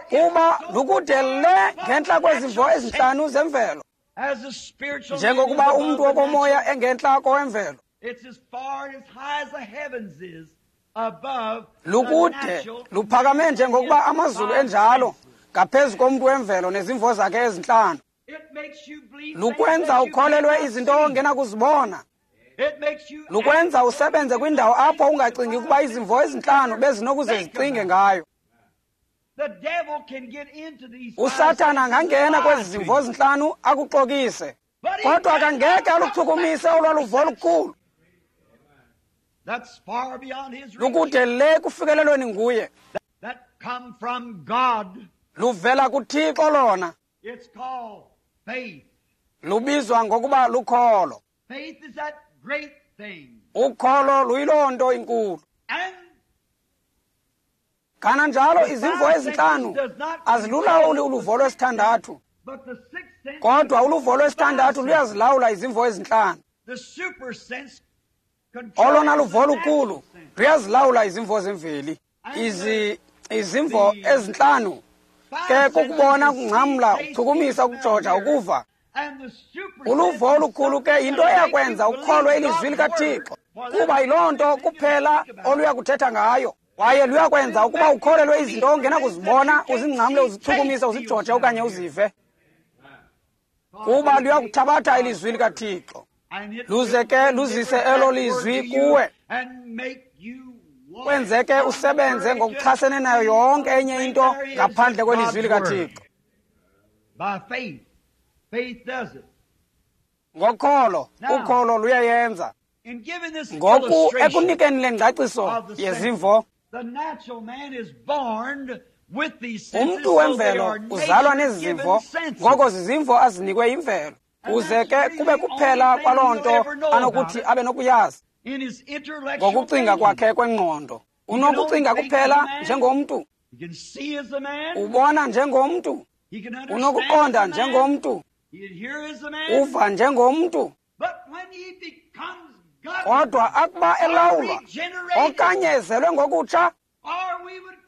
kuba lukude le ngentla kwezimvo ezintlanu zemvelo, njengokuba umntu wokomoya engentla kowemvelo. Lukude luphakame njengokuba amazulu enjalo ngaphezu komntu wemvelo nezimvo zakhe ezintlanu. Lukwenza ukholelwe izinto ongenakuzibona. Lukwenza usebenze kwindawo apho ungacingi ukuba izimvo ezintlanu bezinokuze zicinge ngayo. USathana angangena kwezi zimvo zintlanu akuxokise, kodwa akangeke aluchukumise olwaluvo lukhulu. Lukude le kufikelelweni nguye. Luvela kuThixo lona. Lubizwa ngokuba lukholo. Ukholo luyiloo nto inkulu. Kananjalo izimvo ezintlanu azilulawuli uluvo lwesithandathu, kodwa uluvo lwesithandathu luyazilawula izimvo ezintlanu. Olona luvo lukhulu luyazilawula izimvo zemveli. Izi izimvo ezintlanu Ke kukubona, ukungcamla, ukuchukumisa, ukujoja, ukuva. Uluvo olukhulu ke yinto eyakwenza ukholwe ilizwi likaThixo, kuba yiloo nto kuphela oluya kuthetha ngayo. Kwaye luyakwenza ukuba ukholelwe izinto ongenakuzibona, uzingcamle, uzichukumise, uzijoje okanye uzive, kuba luyakuthabatha ilizwi likaThixo luze ke luzise elo lizwi kuwe, kwenze ke usebenze ngokuchasene nayo yonke enye into ngaphandle kwelizwi likaThixo. Ngokholo, ukholo luyayenza. Ngoku ekunikeni le ngcaciso yezimvo, umntu wemvelo uzalwa nezi zimvo, ngoko zizimvo azinikwe yimvelo, kuze ke kube kuphela kwaloo nto anokuthi abe nokuyazi ngokucinga kwakhe kwengqondo. Unokucinga kuphela njengomntu, ubona njengomntu, unokuqonda njengomntu, uva njengomntu. Kodwa akuba elawulwa okanye ezelwe ngokutsha,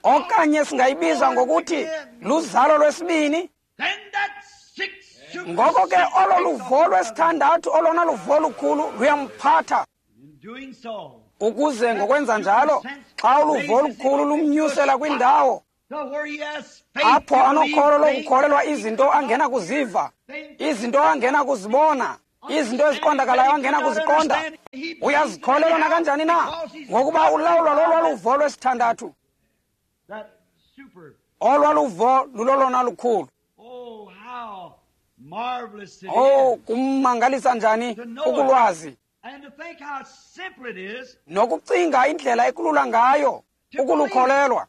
okanye singayibiza ngokuthi luzalo lwesibini, ngoko ke olo luvo lwesithandathu, olona luvo lukhulu, luyamphatha. Ukuze ngokwenza njalo, xa uluvo olukhulu lumnyusela kwindawo apho anokholo lokukholelwa izinto angena kuziva, izinto angena kuzibona, izinto eziqondakalayo angena kuziqonda, uyazikholelwa nakanjani na, ngokuba ulawulwa lolwa luvo lwesithandathu. Olwa luvo lulolona lukhulu. Oh, kummangalisa njani ukulwazi nokucinga indlela ekulula ngayo ukulukholelwa.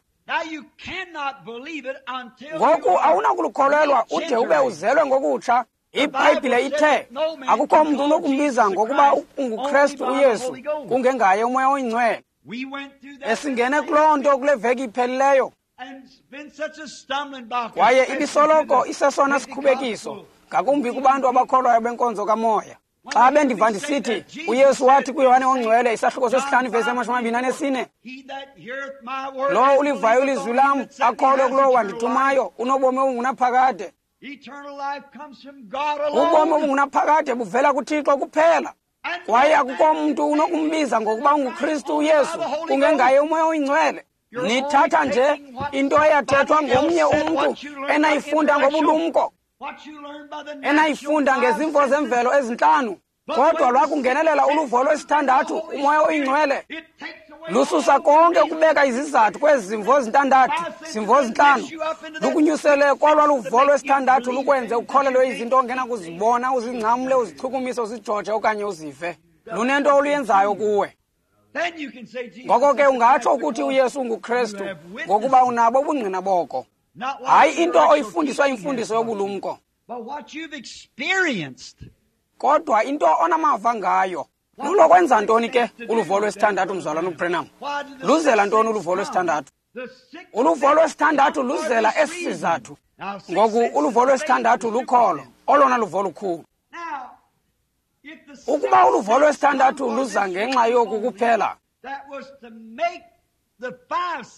Ngoku awunakulukholelwa ude ube uzelwe ngokutsha. IBhayibhile ithe akukho mntu unokumbiza ngokuba unguKrestu uYesu kungengaye uMoya oyiNgcwele. Esingene kuloo nto kule veki iphelileyo, kwaye ibisoloko isesona sikhubekiso ngakumbi kubantu abakholwayo benkonzo kamoya. Xa bendiva ndisithi uYesu wathi kuYohane oNgcwele isahluko sesihlanu ivesi yamashumi amabini anesine, lowo ulivayo ilizwi lam akholwe kulowo wandithumayo unobomi obungunaphakade. Ubomi obungunaphakade buvela kuThixo kuphela, kwaye akukho mntu unokumbiza ngokuba unguKristu uYesu kungengaye uMoya oyiNgcwele. Nithatha nje into eyathethwa ngomnye umntu enayifunda ngobulumko, enayifunda ngezimvo zemvelo ezintlanu, kodwa lwakungenelela uluvo lwesithandathu, uMoya oyiNgcwele, lususa konke ukubeka izizathu kwezi zimvo zintandathu, zimvo zintlanu, lukunyusele kolwa luvo lwesithandathu, lukwenze ukholelwe izinto ongenakuzibona, uzingcamle, uzichukumise, uzijoje okanye uzive. Lunento oluyenzayo kuwe. Ngoko ke ungatsho ukuthi uYesu unguKrestu ngokuba unabo ubungqina boko. Hayi into oyifundiswa imfundiso yobulumko, kodwa into onamava ngayo. Lulokwenza ntoni ke uluvo lwesithandathu, mzalwana uBranham? Luzela ntoni uluvo lwesithandathu? Uluvo lwesithandathu luzela esi sizathu. Ngoku uluvo lwesithandathu lukholo, olona luvo lukhulu. Ukuba uluvo lwesithandathu luza ngenxa yoku kuphela,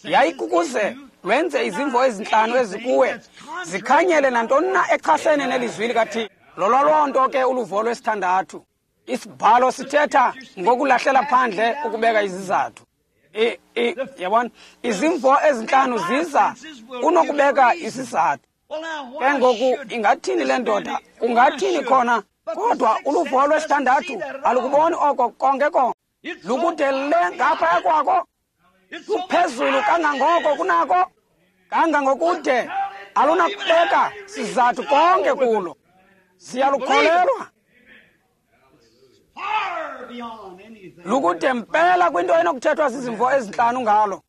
yayikukuze lwenze izimvo ezintlanu ezikuwe zikhanyele nantoni na echasene nelizwi likaThixo. Lolo loo nto ke uluvo lwesithandathu. Isibhalo sithetha ngokulahlela phandle ukubeka izizathu. Yabona, izimvo ezintlanu ziza kunokubeka isizathu. Ke ngoku ingathini le ndoda, kungathini khona, kodwa uluvo lwesithandathu alukuboni oko konke konke. Lukude le ngaphaya kwako, luphezulu kangangoko kunako, kangangokude alunakubeka sizathu konke kulo. Siyalukholelwa. Lukude mpela kwinto enokuthethwa zizimvo ezintlanu ngalo.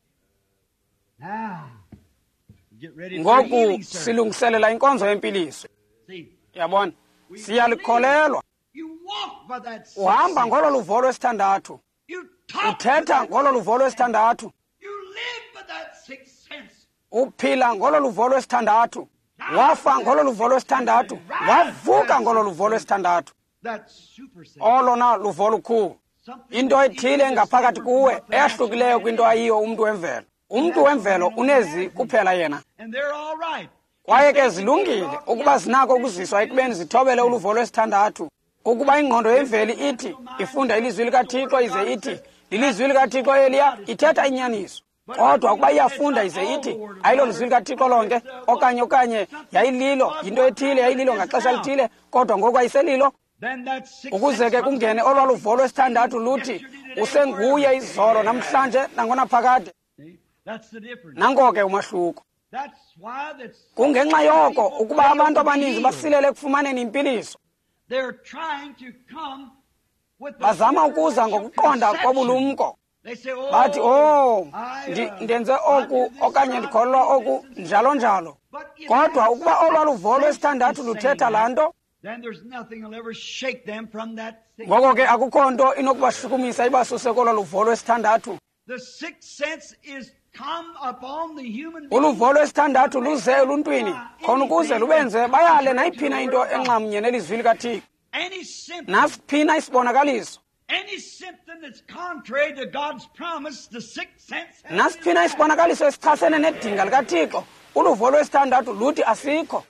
Ngoku silungiselela inkonzo yempiliso. Yabona, siyalikholelwa. Uhamba ngolo luvo lwesithandathu, uthetha ngolo luvo lwesithandathu, uphila ngolo luvo lwesithandathu, wafa ngolo luvo lwesithandathu, wavuka ngolo luvo lwesithandathu. Olona luvo lukhulu, into ethile engaphakathi kuwe eyahlukileyo kwinto ayiyo umntu wemvelo. Umntu wemvelo unezi kuphela yena, Kwaye ke zilungile ukuba zinako ukuziswa ekubeni zithobele uluvo lwesithandathu. Ukuba ingqondo yemveli ithi ifunda ilizwi likaThixo ize ithi lilizwi likaThixo eliya, ithetha inyaniso. Kodwa ukuba iyafunda ize ithi ayilo lizwi likaThixo lonke, okanye okanye yayililo, yinto ethile yayililo ngaxesha lithile, kodwa ngoku ayiselilo, ukuze ke kungene olwa luvo lwesithandathu luthi usenguye izolo namhlanje nangonaphakade. Nanko ke umahluko. Kungenxa yoko ukuba abantu abaninzi basilele ekufumaneni impiliso. Bazama ukuza ngokuqonda kobulumko. Bathi, oh, ndenze oku okanye ndikholelwa oku, njalo njalo. Kodwa ukuba olwa luvo lwesithandathu luthetha laa nto, ngoko ke akukho nto inokubashukumisa ibasuse kolwa luvo lwesithandathu. Uluvo lwesithandathu luze eluntwini khona ukuze lubenze bayale nayiphina into enxamnye nelizwi likaThixo. Nasiphina isibonakaliso. Nasiphina isibonakaliso esichasene nedinga likaThixo, uluvo lwesithandathu luthi asikho.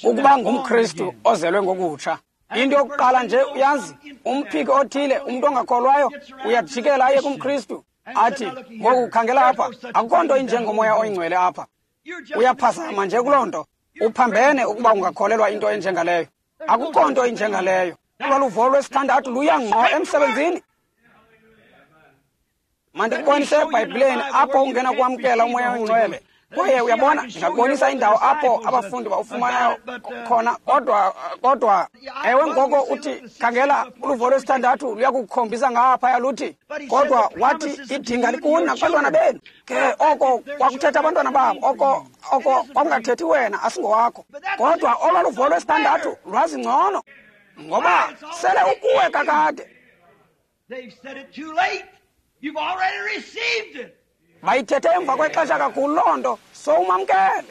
Ukuba ngumKristu ozelwe ngokutsha, into yokuqala nje uyazi, umphiki othile, umntu ongakholwayo, uyajikela aye kumKristu athi, ngoku khangela apha, akukho nto injengomoya oyingcwele apha. Uyaphazama nje kuloo nto, uphambene ukuba ungakholelwa into enjengaleyo. Akukho nto injengaleyo. Uluvo lwesithandathu luya ngqo emsebenzini. Mandikubonise eBhayibhileni apho ungena kwamkela umoya oyingcwele. Kwaye uyabona, ndingakubonisa indawo apho abafundi bawufumanayo khona, kodwa kodwa ewe, ngoko uthi khangela, uluvo lwesithandathu luyakukhombisa ngaphaya luthi, kodwa wathi idinga likuni nakubantwana benu. Ke oko kwakuthetha abantwana babo, oko oko kwakungathethi wena, asingowakho. Kodwa olwa luvo lwesithandathu lwazi ngcono, ngoba sele ukuwe kakade. Bayithethe emva kwexesha kakhulu loo nto, sowumamkele.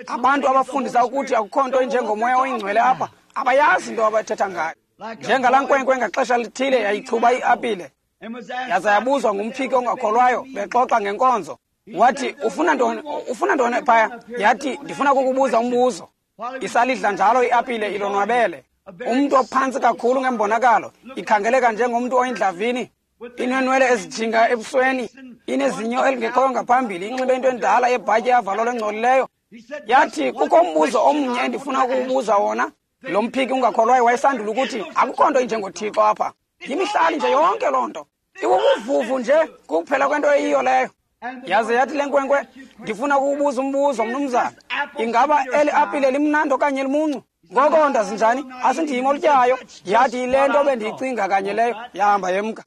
Abantu abafundisa ukuthi akukho nto injengomoya oyingcwele apha abayazi into abathetha ngayo. Njengalaa nkwenkwe ngaxesha lithile yayichuba iapile, yaza yabuzwa ngumphiki ongakholwayo bexoxa ngenkonzo. Wathi, ufuna ntoni, ufuna ntoni phaya? Yathi, ndifuna kukubuza umbuzo. Isalidla njalo iapile ilonwabele. Umntu ophantsi kakhulu ngembonakalo, ikhangeleka njengomntu oyindlavini, inenwele ezijinga ebusweni, inezinyo elingekhoyo ngaphambili, inxibe into endala yebhatyi yavalolo engcolileyo. Yathi, kukho umbuzo omnye endifuna ukuwubuza wona. Lo mphiki ungakholwayo wayesandula ukuthi akukho nto injengoThixo apha. Yimihlali nje yonke loo nto, ibubuvuvu nje kuphela kwento eyiyo leyo. Yaze yathi le nkwenkwe, ndifuna ukuwubuza umbuzo mnumzana, ingaba eli apile limnandi okanye limuncu? Ngoko ndazinjani, asindim olutyayo. Yathi, yile nto bendiyicinga kanye leyo. Yahamba yemka.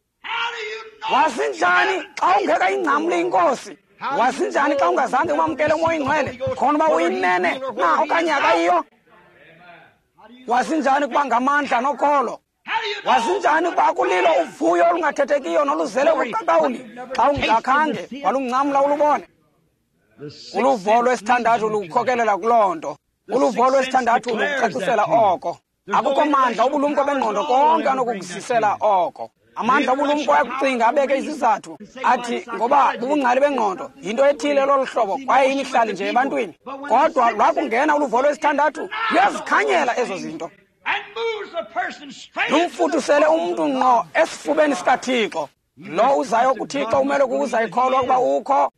Wasinjani xa ungeka ingcamle inkosi? Wasinjani xa ungazange umamkele umoya oyingcwele khona uba uyinene na okanye akayiyo? Wasinjani kuba ngamandla nokholo? Wasinjani kuba akulilo uvuyo olungathethekiyo noluzele ubuqaqawuli xa ungakhange walungcamla ulubone? Uluvo lwesithandathu lukhokelela kuloo nto. Uluvo lwesithandathu lukucacisela oko. Akukho mandla obulumko bengqondo konke anokukuzisela oko. Amandla obulumko ayakucinga abeke izizathu athi ngoba bubungcali bengqondo yinto ethile lolu hlobo kwaye imihlali nje ebantwini. Kodwa lwakungena uluvo lwesithandathu luyazikhanyela ezo zinto, lumfuthusele umntu ngqo esifubeni sikaThixo. Lo uzayo kuThixo umele kuza ikholwa ukuba ukho,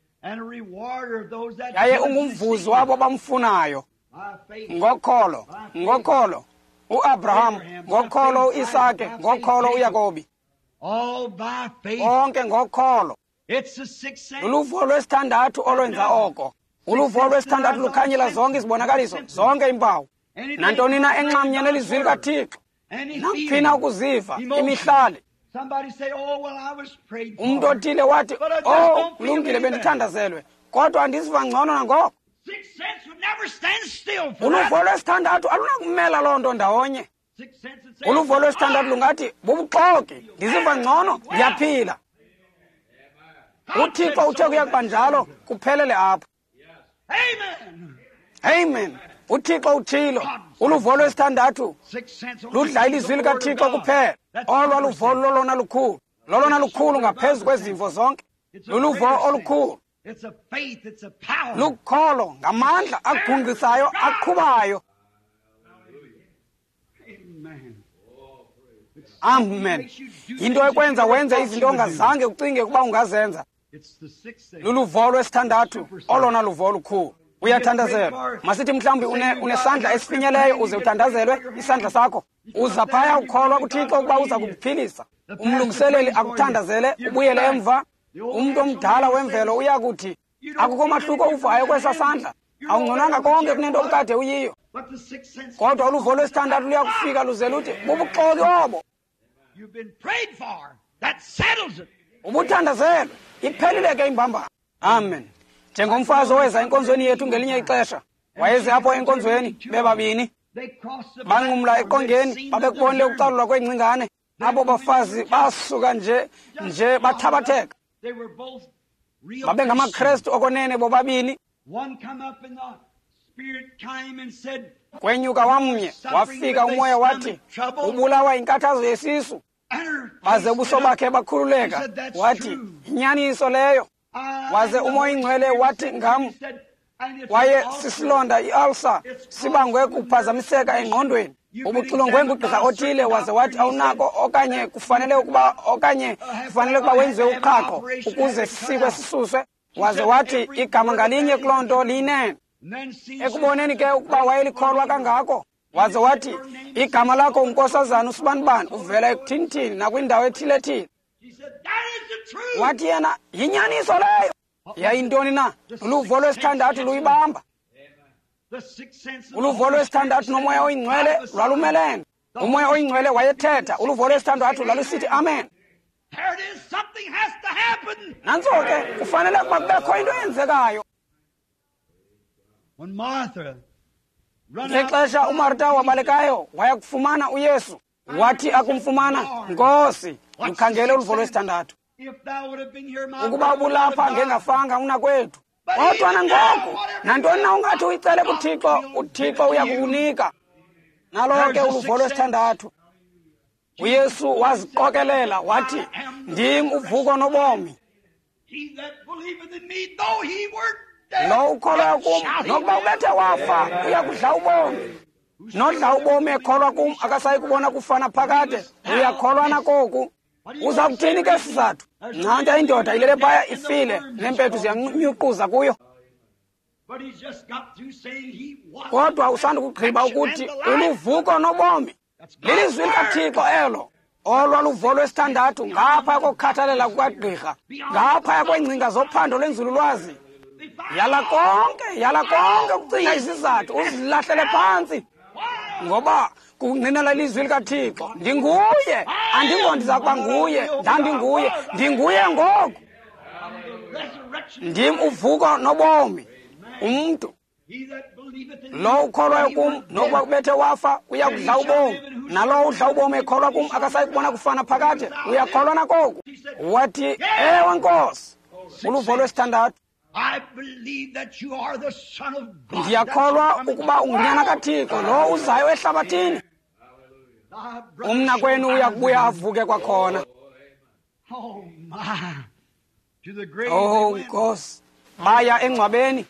yaye ungumvuzi wabo bamfunayo. Ngokholo, ngokholo uAbraham, ngokholo uIsake, ngokholo uYakobi, konke ngokholo. Uluvo lwesithandathu olwenza oko. Uluvo lwesithandathu lukhanyela zonke izibonakaliso, zonke iimpawu, nantoni na enxamnye nelizwi likaThixo, nakuphina ukuziva imihlali. Umntu othile wathi, oh, kulungile, bendithandazelwe, kodwa andisiva ngcono nangoko. Uluvo lwesithandathu alunakumela loo nto ndawonye. Uluvo lwesithandathu lungathi, bubuxoki, ndiziva ngcono, ndiyaphila. UThixo uthe kuya kuba njalo, kuphelele apho. Amen. UThixo uthilo. Uluvo lwesithandathu ludla ilizwi likaThixo kuphela. Olwa luvo lolona lukhulu, lolona lukhulu ngaphezu kwezimvo zonke. Luluvo olukhulu. Lukholo ngamandla agungqisayo aqhubayo. Amen. Yinto ekwenza wenze izinto ongazange ucinge ukuba ungazenza. Luluvo lwesithandathu, olona luvo lukhulu. Uyathandazelwa. Masithi mhlawumbi une, unesandla esifinyeleyo uze uthandazelwe isandla sakho. Uza phaya ukholwa kuThixo ukuba uza kukuphilisa. Umlungiseleli akuthandazele ubuyele emva. Umntu omdala wemvelo uya kuthi akukho mahluko uvayo kwesa sandla. Awungconanga konke kunento obukade uyiyo. Kodwa uluvo lwesithandathu luyakufika luze luthi bubuxoki obo. Ubuthandazelwe, iphelile ke imbambano. Amen. Njengomfazi oweza enkonzweni yethu ngelinye ixesha, wayeze apho enkonzweni bebabini. Banqumla eqongeni, babekubonile ukucalulwa kweengcingane. Abo bafazi basuka nje nje bathabatheka. BabengamaKrestu okonene bobabini. Kwenyuka wamnye, wafika umoya wathi, ubulawa inkathazo yesisu. Baze ubuso bakhe bakhululeka, wathi, inyaniso leyo. Waze umoya ingcwele wathi ngam, waye sisilonda i-ulcer sibangwe kuphazamiseka engqondweni. Ubuxilongwe ngugqirha othile waze wathi awunako okanye kufanele ukuba okanye kufanele ukuba wenziwe uqhaqho ukuze sisikwe sisuswe. Waze wathi igama ngalinye kuloo nto liyinene. Ekuboneni ke ukuba wayelikholwa kangako, waze wathi igama lakho unkosazana usibanibani, uvela ekuthinithini nakwindawo ethile-thile. Wathi yena yinyaniso leyo. Yayintoni na? Uluvo lwesithandathu luyibamba. Uluvo lwesithandathu nomoya oyingcwele lwalumelene. Umoya oyingcwele wayethetha, uluvo lwesithandathu lwalusithi amen. Nantso ke kufanele ukuba kubekho into eyenzekayo. Ngexesha uMarta wabalekayo waya kufumana uYesu, wathi akumfumana, Nkosi, mkhangele uluvo lwesithandathu. Ukuba ubulapha ngengafanga unakwethu. Kodwa nangoku, nantoni na ungathi uyicele kuThixo, uThixo uyakukunika. Nalo ke uluvo lwesithandathu. uYesu waziqokelela wathi, ndim uvuko nobomi. Lo ukholwayo kum, nokuba ubethe wafa, uyakudla ubomi. Nodla ubomi ekholwa kum, akasayi kubona kufana phakade. Uyakholwa nakoku. Uza kuthini ke sizathu? Nantya indoda ilele phaya ifile, neempethu ziyanyuquza kuyo. Kodwa usandukugqiba ukuthi uluvuko nobomi. Lilizwi likaThixo elo. Olwa luvo lwesithandathu ngaphaya kokukhathalela kukagqirha, ngaphaya kweengcinga zophando lwenzululwazi. Yala konke, yala konke ukucinga izizathu, uzilahlele phantsi. Ngoba kungqinela ilizwi likaThixo. Ndinguye, andingo ndiza kuba nguye, ndandinguye, ndinguye ngoku. Ndim uvuko nobomi. Umntu lo ukholwayo kum, nokuba kubethe wafa, uyakudla ubomi. Nalowo udla ubomi ekholwa kum, akasayi kubona kufana phakade. Uyakholwa nakoku? Wathi, ewe Nkosi. Uluvo lwesithandathu. Ndiyakholwa ukuba ungunyana kaThixo, lo uzayo ehlabathini. Umnakwenu uyakubuya avuke kwakhona. Oh Nkosi, baya engcwabeni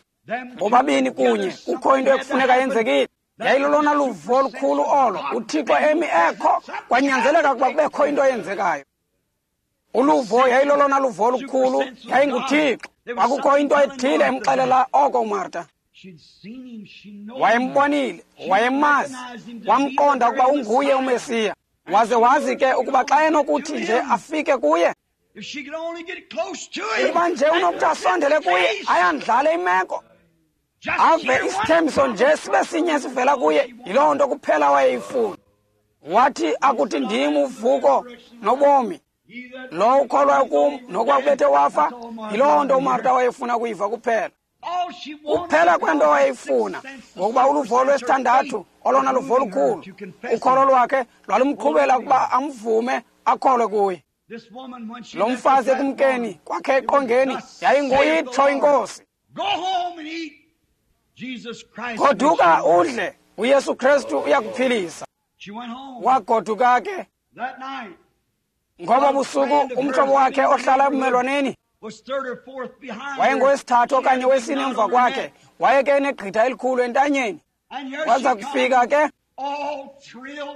bobabini kunye, kukho into ekufuneka yenzekile. Yayilolona luvo lukhulu olo, uThixo emi ekho, kwanyanzeleka ukuba kubekho into eyenzekayo. Uluvo yayilolona luvo lukhulu, yayinguThixo. Kwakukho into ethile emxelela oko uMarta. Wayembonile, wayemazi, wamqonda ukuba unguye uMesiya. Waze wazi ke ukuba xa enokuthi nje afike kuye, ukuba nje unokuthi asondele kuye, ayandlale imeko, ave isithembiso nje sibe sinye sivela kuye, yiloo nto kuphela wayeyifuna. Wathi akuthi ndim uvuko nobomi. Lo ukholwayo kum, nokuba kubethe wafa, yiloo nto uMarta wayefuna kuyiva kuphela. Kuphela kwento wayeyifuna, ngokuba uluvo lwesithandathu, olona luvo lukhulu, ukholo lwakhe lwalumqhubela ukuba amvume akholwe kuye. Lo mfazi ekumkeni kwakhe eqongeni yayinguye itsho iNkosi. Goduka udle, uYesu Kristu uyakuphilisa. Wagoduka ke. Ngoba busuku umhlobo wakhe ohlala ebumelwaneni Wayengowesithathu okanye wesine emva kwakhe, waye ke enegqitha elikhulu entanyeni. Waza kufika ke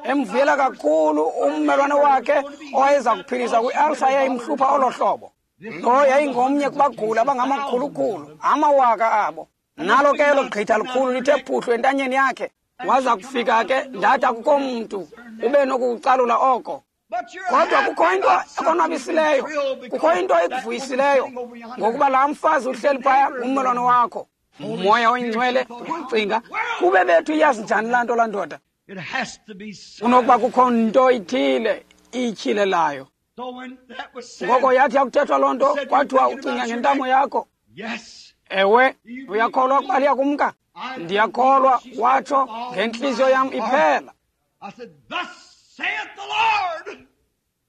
emvuyela kakhulu ummelwane wakhe owayeza kuphiliswa kwi-alsa eyayimhlupha olo hlobo. Lo yayingomnye kubaguli abangamakhulukhulu, amawaka abo. Nalo ke elo gqitha likhulu lithe phuhlu entanyeni yakhe. Waza kufika ke, ndathi akukho mntu ube nokukucalula oko. Kodwa kukho into ekonwabisileyo, kukho into ekuvuyisileyo, ngokuba laa mfazi uhleli phaya ngummelwane wakho. Umoya oyingcwele wacinga, kube bethu iyazi njani laa nto laa ndoda? Kunokuba kukho nto ithile iyityhilelayo. Ngoko yathi yakuthethwa loo nto, kwathiwa ucinga ngentamo yakho. Ewe, uyakholwa ukuba liyakumka? Ndiyakholwa, watsho ngentliziyo yam iphela.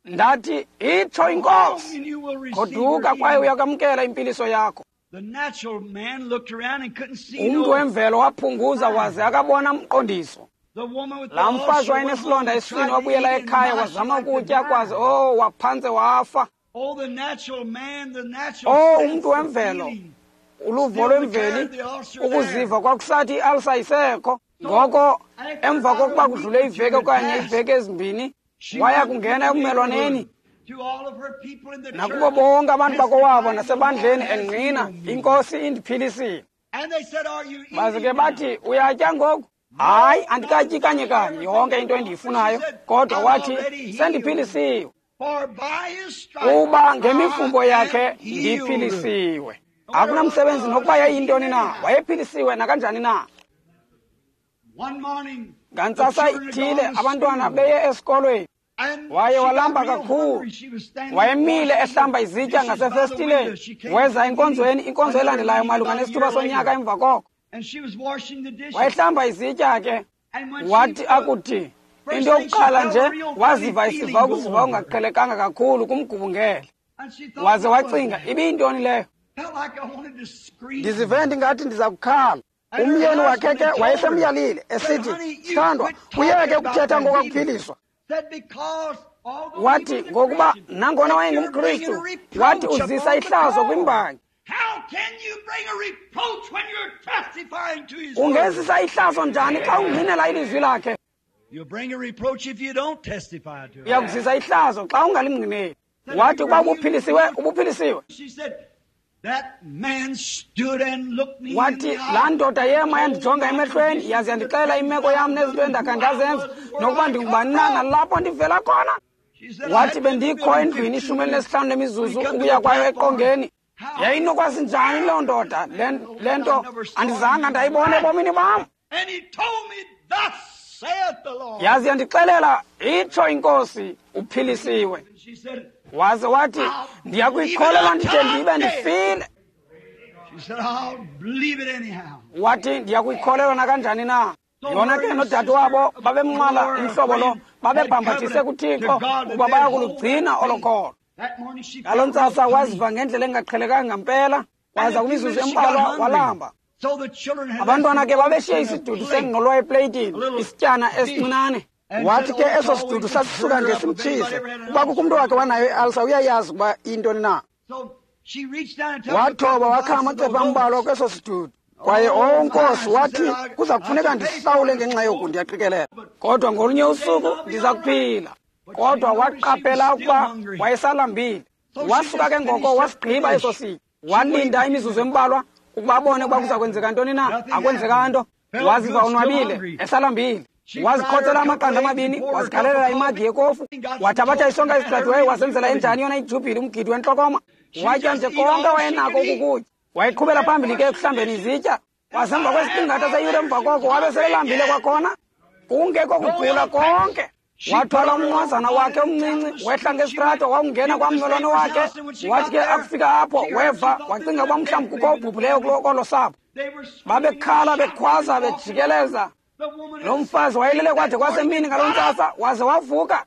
Ndathi, itsho iNkosi, goduka kwaye uyakwamkela impiliso yakho. Umntu wemvelo waphunguza waze akabona mqondiso. Laa mfazi wayenesilonda esiswini wabuyela ekhaya wazama ukutya kwaze, oh, waphantse wafa. Oh, umntu wemvelo, uluvo lwemveli, ukuziva kwakusathi i-alsa isekho. Ngoko emva kokuba kudlule iveki okanye iveki ezimbini, waya kungena ekumelwaneni nakubo bonke abantu bakowabo nasebandleni engqina, iNkosi indiphilisile. Baze ke bathi, uyatya ngoku? Hayi, andikatyi kanye kanye yonke into endiyifunayo, kodwa wathi sendiphilisiwe, kuba ngemifumbo yakhe ndiphilisiwe. Akunamsebenzi nokuba yayintoni na, wayephilisiwe nakanjani na. Ngantsasa ithile abantwana beye esikolweni, waye walamba kakhulu. Wayemile ehlamba izitya ngasefestileni. Weza enkonzweni, inkonzo elandelayo malunga nesithuba sonyaka emva koko. Wayehlamba izitya ke, wathi akuthi into yokuqala nje waziva isiva ukuziva ongaqhelekanga kakhulu kumgubungele. Waze wacinga, ibiyintoni leyo? Ndizive ndingathi ndiza kukhala. Umyeni wakhe ke wayesemyalile esithi, sithandwa, uyeke ukuthetha ngokakuphiliswa. Wathi ngokuba nangona wayengumKristu, wathi uzisa ihlazo kwimbangi. Ungezisa ihlazo njani xa ungqinela ilizwi lakhe? Uyakuzisa ihlazo xa ungalimngqineli. Wathi ukuba ubuphilisiwe, ubuphilisiwe. Wathi laa ndoda yema yandijonga emehlweni, yaze yandixelela imeko yam nezinto endakha ndazenza, nokuba ndingubani na nalapho ndivela khona. Wathi bendikho endlwini ishumi elinesihlanu lemizuzu ukuya kwayo eqongeni. Yayinokwazi njani loo ndoda le nto? Andizanga ndayibona ebomini bam. Yaze yandixelela, itsho iNkosi, uphilisiwe. Waze wathi, ndiyakuyikholelwa ndide ndibe ndifile. Wathi, ndiyakuyikholelwa nakanjani na. Yona ke nodade wabo babemnqwala umhlobo lo, babebhambathise kuThixo ukuba bayakulugcina olo kholo. Ngaloo ntsasa waziva ngendlela engaqhelekanga ngampela, waza kwimizuzu embalwa walamba. Abantwana ke babeshiye isidudu sengqolowa epleyitini, isityana esincinane. Wathi ke eso sidudu sasisuka nje simtshise. Kuba kukho umntu wakhe wanayo i-alsa, uyayazi ukuba iyintoni na. Wathoba wakha amacephe ambalwa kweso sidudu. Kwaye oh Nkosi, wathi kuza kufuneka ndihlawule ngenxa yoku, ndiyaqikelela. Kodwa ngolunye usuku ndiza kuphila. Kodwa waqaphela ukuba wayesalambile. Wasuka ke ngoko wasigqiba eso sitya. Walinda imizuzu embalwa ukuba abone ukuba kuza kwenzeka ntoni na. Akwenzeka nto. Waziva onwabile, esalambile. Wazikhothela amaqanda amabini, wazikhalela imagi yekofu, wathabatha isonka esicadiweyo, wazenzela enjani yona ijubhili, umgidi wentlokoma. Watya nje konke wayenako ukukutya. Wayeqhubela phambili ke ekuhlambeni izitya. Wasemva kwesiqingatha seyure emva koko wabe selelambile kwakhona, kungekho kugqwila konke. Wathwala umnqwazana wakhe omncinci, wehla ngesitrato, wawungena kwammelwane wakhe. Wathi ke akufika apho, weva, wacinga uba mhlawumbi kukho obhubhuleyo kolo sapho. Babekhala, bekhwaza, bejikeleza. Lo mfazi wayelele kwade kwasemini ngaloo ntsasa, waze wavuka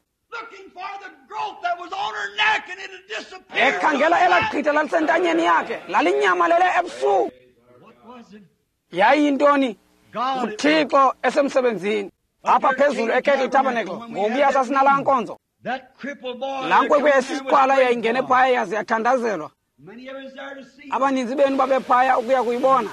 ekhangela elaa qhitha lalisentanyeni yakhe, lalinyamalele ebusuku. Yayiyintoni? UThixo esemsebenzini. Apha phezulu eKettle Tabernacle, ngokuya sasinalaa nkonzo. Laa nkwenkwe yayisisiqhwala yayingene phaya yaze yathandazelwa. Abaninzi benu babephaya ukuya kuyibona.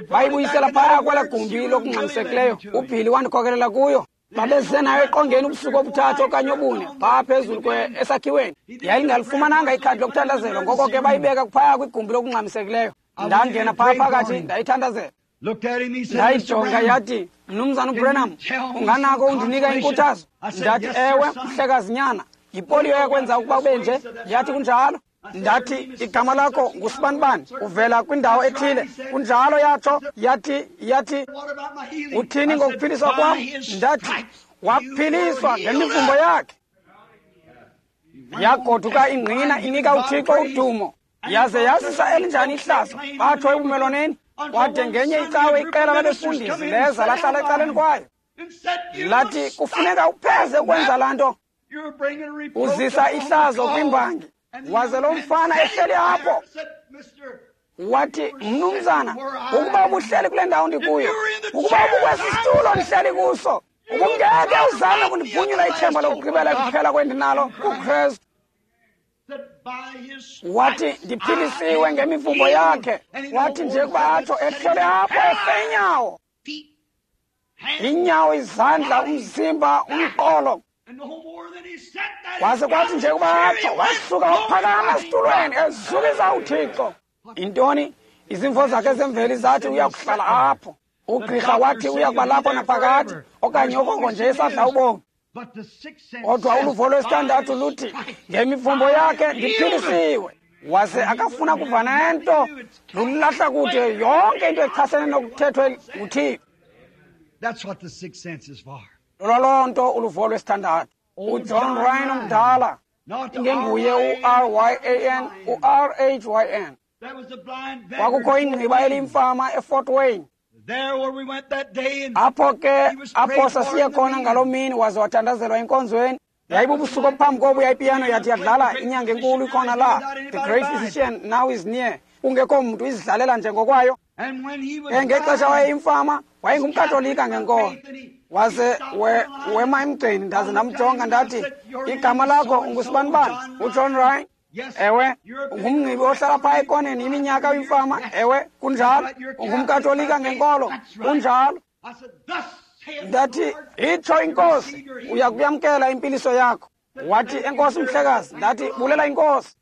Bayibuyisela phaya kwela gumbi lokungxamisekileyo. UBilly wandikhokelela kuyo. Babesenayo eqongeni ubusuku obuthathu okanye obune phaa phezulu esakhiweni. Yayingalifumananga ikhadi lokuthandazelwa, ngoko ke bayibeka phaya kwigumbi lokungxamisekileyo. Ndangena phaa phakathi ndayithandazela. Ndayijonga yathi, Mnumzana uBranham, unganako undinika inkuthazo? Ndathi, ewe, mhlekazinyana, yipoliyo yakwenza ukuba ube nje. Yathi, kunjalo. Ndathi, igama lakho ngusibanibani, uvela kwindawo ethile. Kunjalo, yatsho. Yathi, yathi, uthini ngokuphiliswa kwam? Ndathi, waphiliswa ngemivumbo yakhe. Yagoduka ingqina inika uThixo udumo. Yaze yazisa elinjani ihlazo, batsho ebumelwaneni. Kwade ngenye icawe iqela labefundisi leza lahlala ecaleni kwayo. Lathi, kufuneka upheze ukwenza laa nto. Uzisa ihlazo kwimbangi. Waze lo mfana ehleli apho. Wathi, mnumzana, ukuba ubuhleli kule ndawo ndikuyo, ukuba ubukwesi situlo ndihleli kuso, ubungeke uzame kundibhunyula ithemba lokugqibela kuphela kwendinalo kuKristu. Wathi, ndiphilisiwe ngemivumbo yakhe. Wathi nje kuba atsho ehleli apho efe inyawo. Inyawo, izandla, umzimba, umqolo. Waze kwathi nje kuba atsho wasuka waphakama esitulweni ezukisa uThixo. Intoni? Izimvo zakhe zemveli zathi uyakuhlala apho. Ugqirha wathi uyakuba lapho naphakade okanye okoko nje esadla ubomi. Kodwa uluvo lwesithandathu luthi ngemivumbo yakhe ndiphilisiwe. Waze akafuna kuva nento, lulahla kude yonke into echasene nokuthethwe nguThixo. Loloo nto uluvo lwesithandathu. UJohn Ryan omdala, ingenguye u-R Y A N, u-R H Y N. Kwakukho ingqiba eliyimfama eFort Wayne. Apho ke apho sasiye khona ngaloo mini, waze wathandazelwa enkonzweni. Yayibubusuku obuphambi kobu yayipiyano yathi yadlala inyanga enkulu ikhona la. The great physician now is near. Kungekho mntu izidlalela nje ngokwayo. Ngexesha wayeyimfama, wayengumKatolika ngenkolo. Waze we, wema emgceni, ndaze ndamjonga ndathi, igama lakho ungusibanibani? UJohn Ryan? Ewe, ungumngcibi ohlala phaa ekoneni iminyaka uyimfama. Ewe, kunjalo. UngumKatolika ngenkolo. Kunjalo. Ndathi, itsho inkosi, uya kuyamkela impiliso yakho. Wathi, enkosi mhlekazi. Ndathi, bulela inkosi.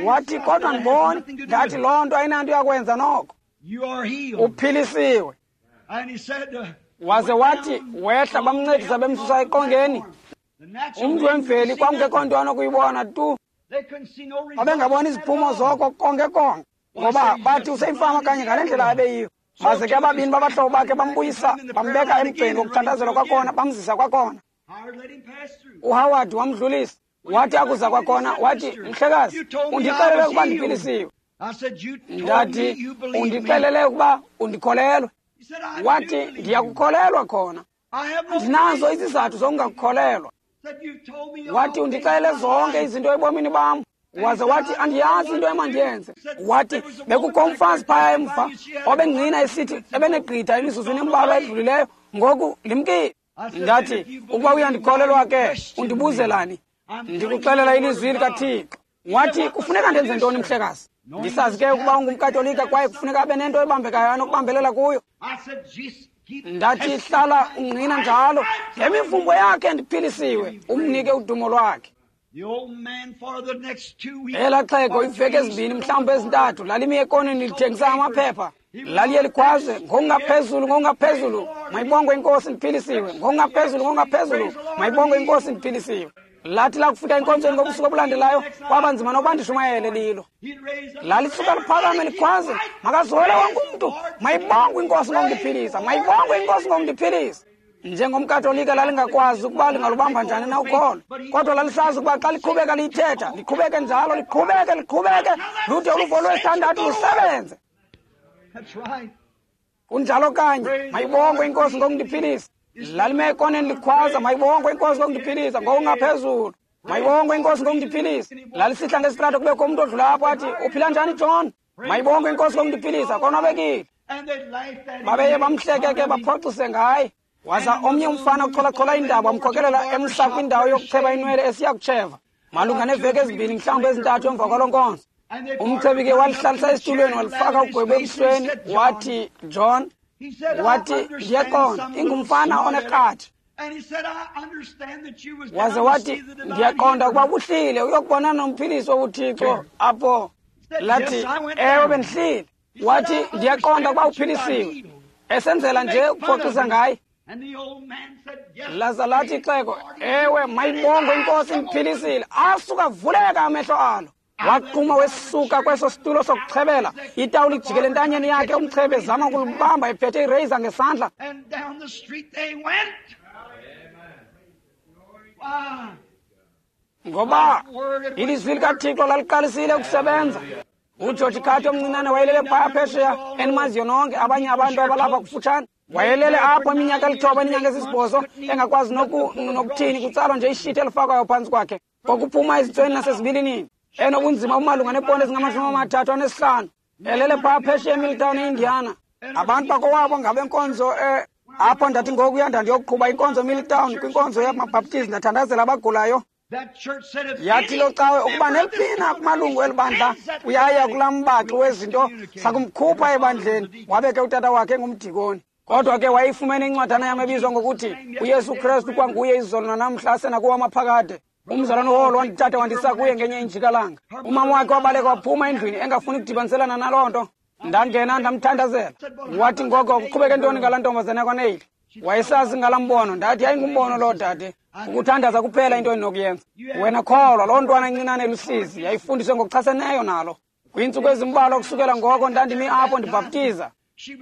Wathi, kodwa ndiboni. Ndathi, loo nto ayinanto yakwenza noko. Uphilisiwe. Waze wathi, wehla bamncedisa bemsusa eqongeni. Umntu wemveli kwakungekho nto anokuyibona tu. Babengaboni iziphumo zoko konke konke, ngoba bathi useyimfama kanye ngale ndlela abeyiyo. Baze ke ababini babahlobo bakhe bambuyisa, bambeka emgceni wokuthandazelwa kwakhona, bamzisa kwakhona. UHoward wamdlulisa. Wathi akuza kwakhona, wathi, mhlekazi, undixelele ukuba ndiphilisiwe. Ndathi, undixelele ukuba undikholelwe. Wathi, ndiyakukholelwa khona. Ndinazo izizathu zokungakukholelwa. Wathi, undixelele zonke izinto ebomini bam. Waze wathi, andiyazi into emandiyenze. Wathi, bekukho umfazi phaya emva obengqina esithi ebenegqitha emizuzwini embalwa edlulileyo, ngoku limkile. Ndathi, ukuba uyandikholelwa ke, undibuzelani? Ndikuxelela ilizwi likaThixo. Wathi, kufuneka ndenze ntoni mhlekazi? Ndisazi ke ukuba ungumKatolika kwaye kufuneka abe nento ebambekayo anokubambelela kuyo. Ndathi, hlala ungqina njalo, ngemivumbo yakhe ndiphilisiwe, umnike udumo lwakhe. Elaa xhego iiveki ezimbini mhlawumbi ezintathu lalimi ekoneni lithengisa amaphepha. Laliye likhwaze, ngokungaphezulu, ngokungaphezulu, mayibongwe inkosi ndiphilisiwe, ngokungaphezulu, ngokungaphezulu, mayibongwe inkosi ndiphilisiwe. Lathi lakufika enkonzweni ngobusuku obulandelayo, kwaba nzima nokuba ndishumayele lilo. Lalisuka liphakame likhwaze, makazole wonke umntu, mayibongwe inkosi ngokundiphilisa, mayibongwe inkosi ngokundiphilisa. NjengomKatolika lalingakwazi ukuba lingalubamba njani na ukholo, kodwa lalisazi ukuba xa liqhubeka liyithetha, liqhubeke njalo, liqhubeke, liqhubeke, lude uluvo lwesithandathu lusebenze. Kunjalo kanye, mayibongwe inkosi ngokundiphilisa. Lalime ekoneni likhwaza, mayibongwe inkosi ngokundiphilisa, ngokungaphezulu. Mayibongwe inkosi ngokundiphilisa. Lalisihla ngesitrato kubekho umntu odlula apho athi, uphila njani John? Mayibongwe inkosi ngokundiphilisa, konwabekile. Babeye bamhleke ke baphoxise ngaye. Waza omnye umfana ucholachola indaba wamkhokelela emhla kwindawo yokucheba inwele esiya kutsheva. Malunga neeveki ezimbini mhlawumbi ezintathu emva kwaloo nkonzo. Umchebi ke walihlalisa esitulweni, walifaka ugwebo ebusweni, wathi, John, wathi, ndiyaqonda, ingumfana oneqatha. Waze wathi, ndiyaqonda ukuba buhlile uyokubonana nomphilisi wobuthixo apho. Lathi, ewe, bendihlile. Wathi, ndiyaqonda ukuba uphilisiwe, esenzela nje ukuphoxisa ngaye. Laza lathi ixhego, ewe, mayibongwe inkosi, imphilisile. Asuka vuleka amehlo alo. Waquma wesuka kweso situlo sokuchebela, itawuli ijikele entanyeni yakhe, umchebe ezama ukulibamba ephethe ireyiza ngesandla. Ngoba ilizwi likaThixo laliqalisile ukusebenza. UGeorge Carter omncinane wayelele phaya phesheya, enimaziyo nonke abanye abantu abalapha kufutshane. Wayelele apho iminyaka elithoba eninyanga esisibhozo, engakwazi nokuthini, kutsalwa nje ishiti elifakwayo phantsi kwakhe, ngokuphuma ezintsweni nasezibilinini, enobunzima obumalunga neeponti ezingamashumi amathathu anesihlanu, elele phaya phesheya eMilltown eIndiana. Abantu bakowabo ngabenkonzo eh, apho ndathi ngokuya ndandiyokuqhuba inkonzo eMilltown, kwinkonzo yamaBhaptizi, ndathandazela abagulayo. Yathi lo cawe ukuba neliphina kumalungu elibandla uyaya kulaa mbaxi wezinto, sakumkhupha ebandleni. Wabe ke utata wakhe engumdikoni. Kodwa ke wayifumene incwadana yam ebizwa ngokuthi uYesu Kristu kwanguye izolo nanamhla asenakuwo amaphakade. Umzalwane uHall wandithatha wandisa kuye ngenye injikalanga. Umama wakhe wabaleka waphuma endlwini engafuni ukudibaniselana naloo nto. Ndangena ndamthandazela. Wathi ngoko kuqhubeke ntoni ngalaa ntombazana yakwaNeil? Wayesazi ngalaa mbono. Ndathi yayingumbono loo dade. Ukuthandaza kuphela into endinokuyenza. Wena kholwa, loo ntwana incinane elusizi yayifundiswe ngokuchaseneyo nalo. Kwiintsuku ezimbalwa kusukela ngoko ndandimi apho ndibhaptiza.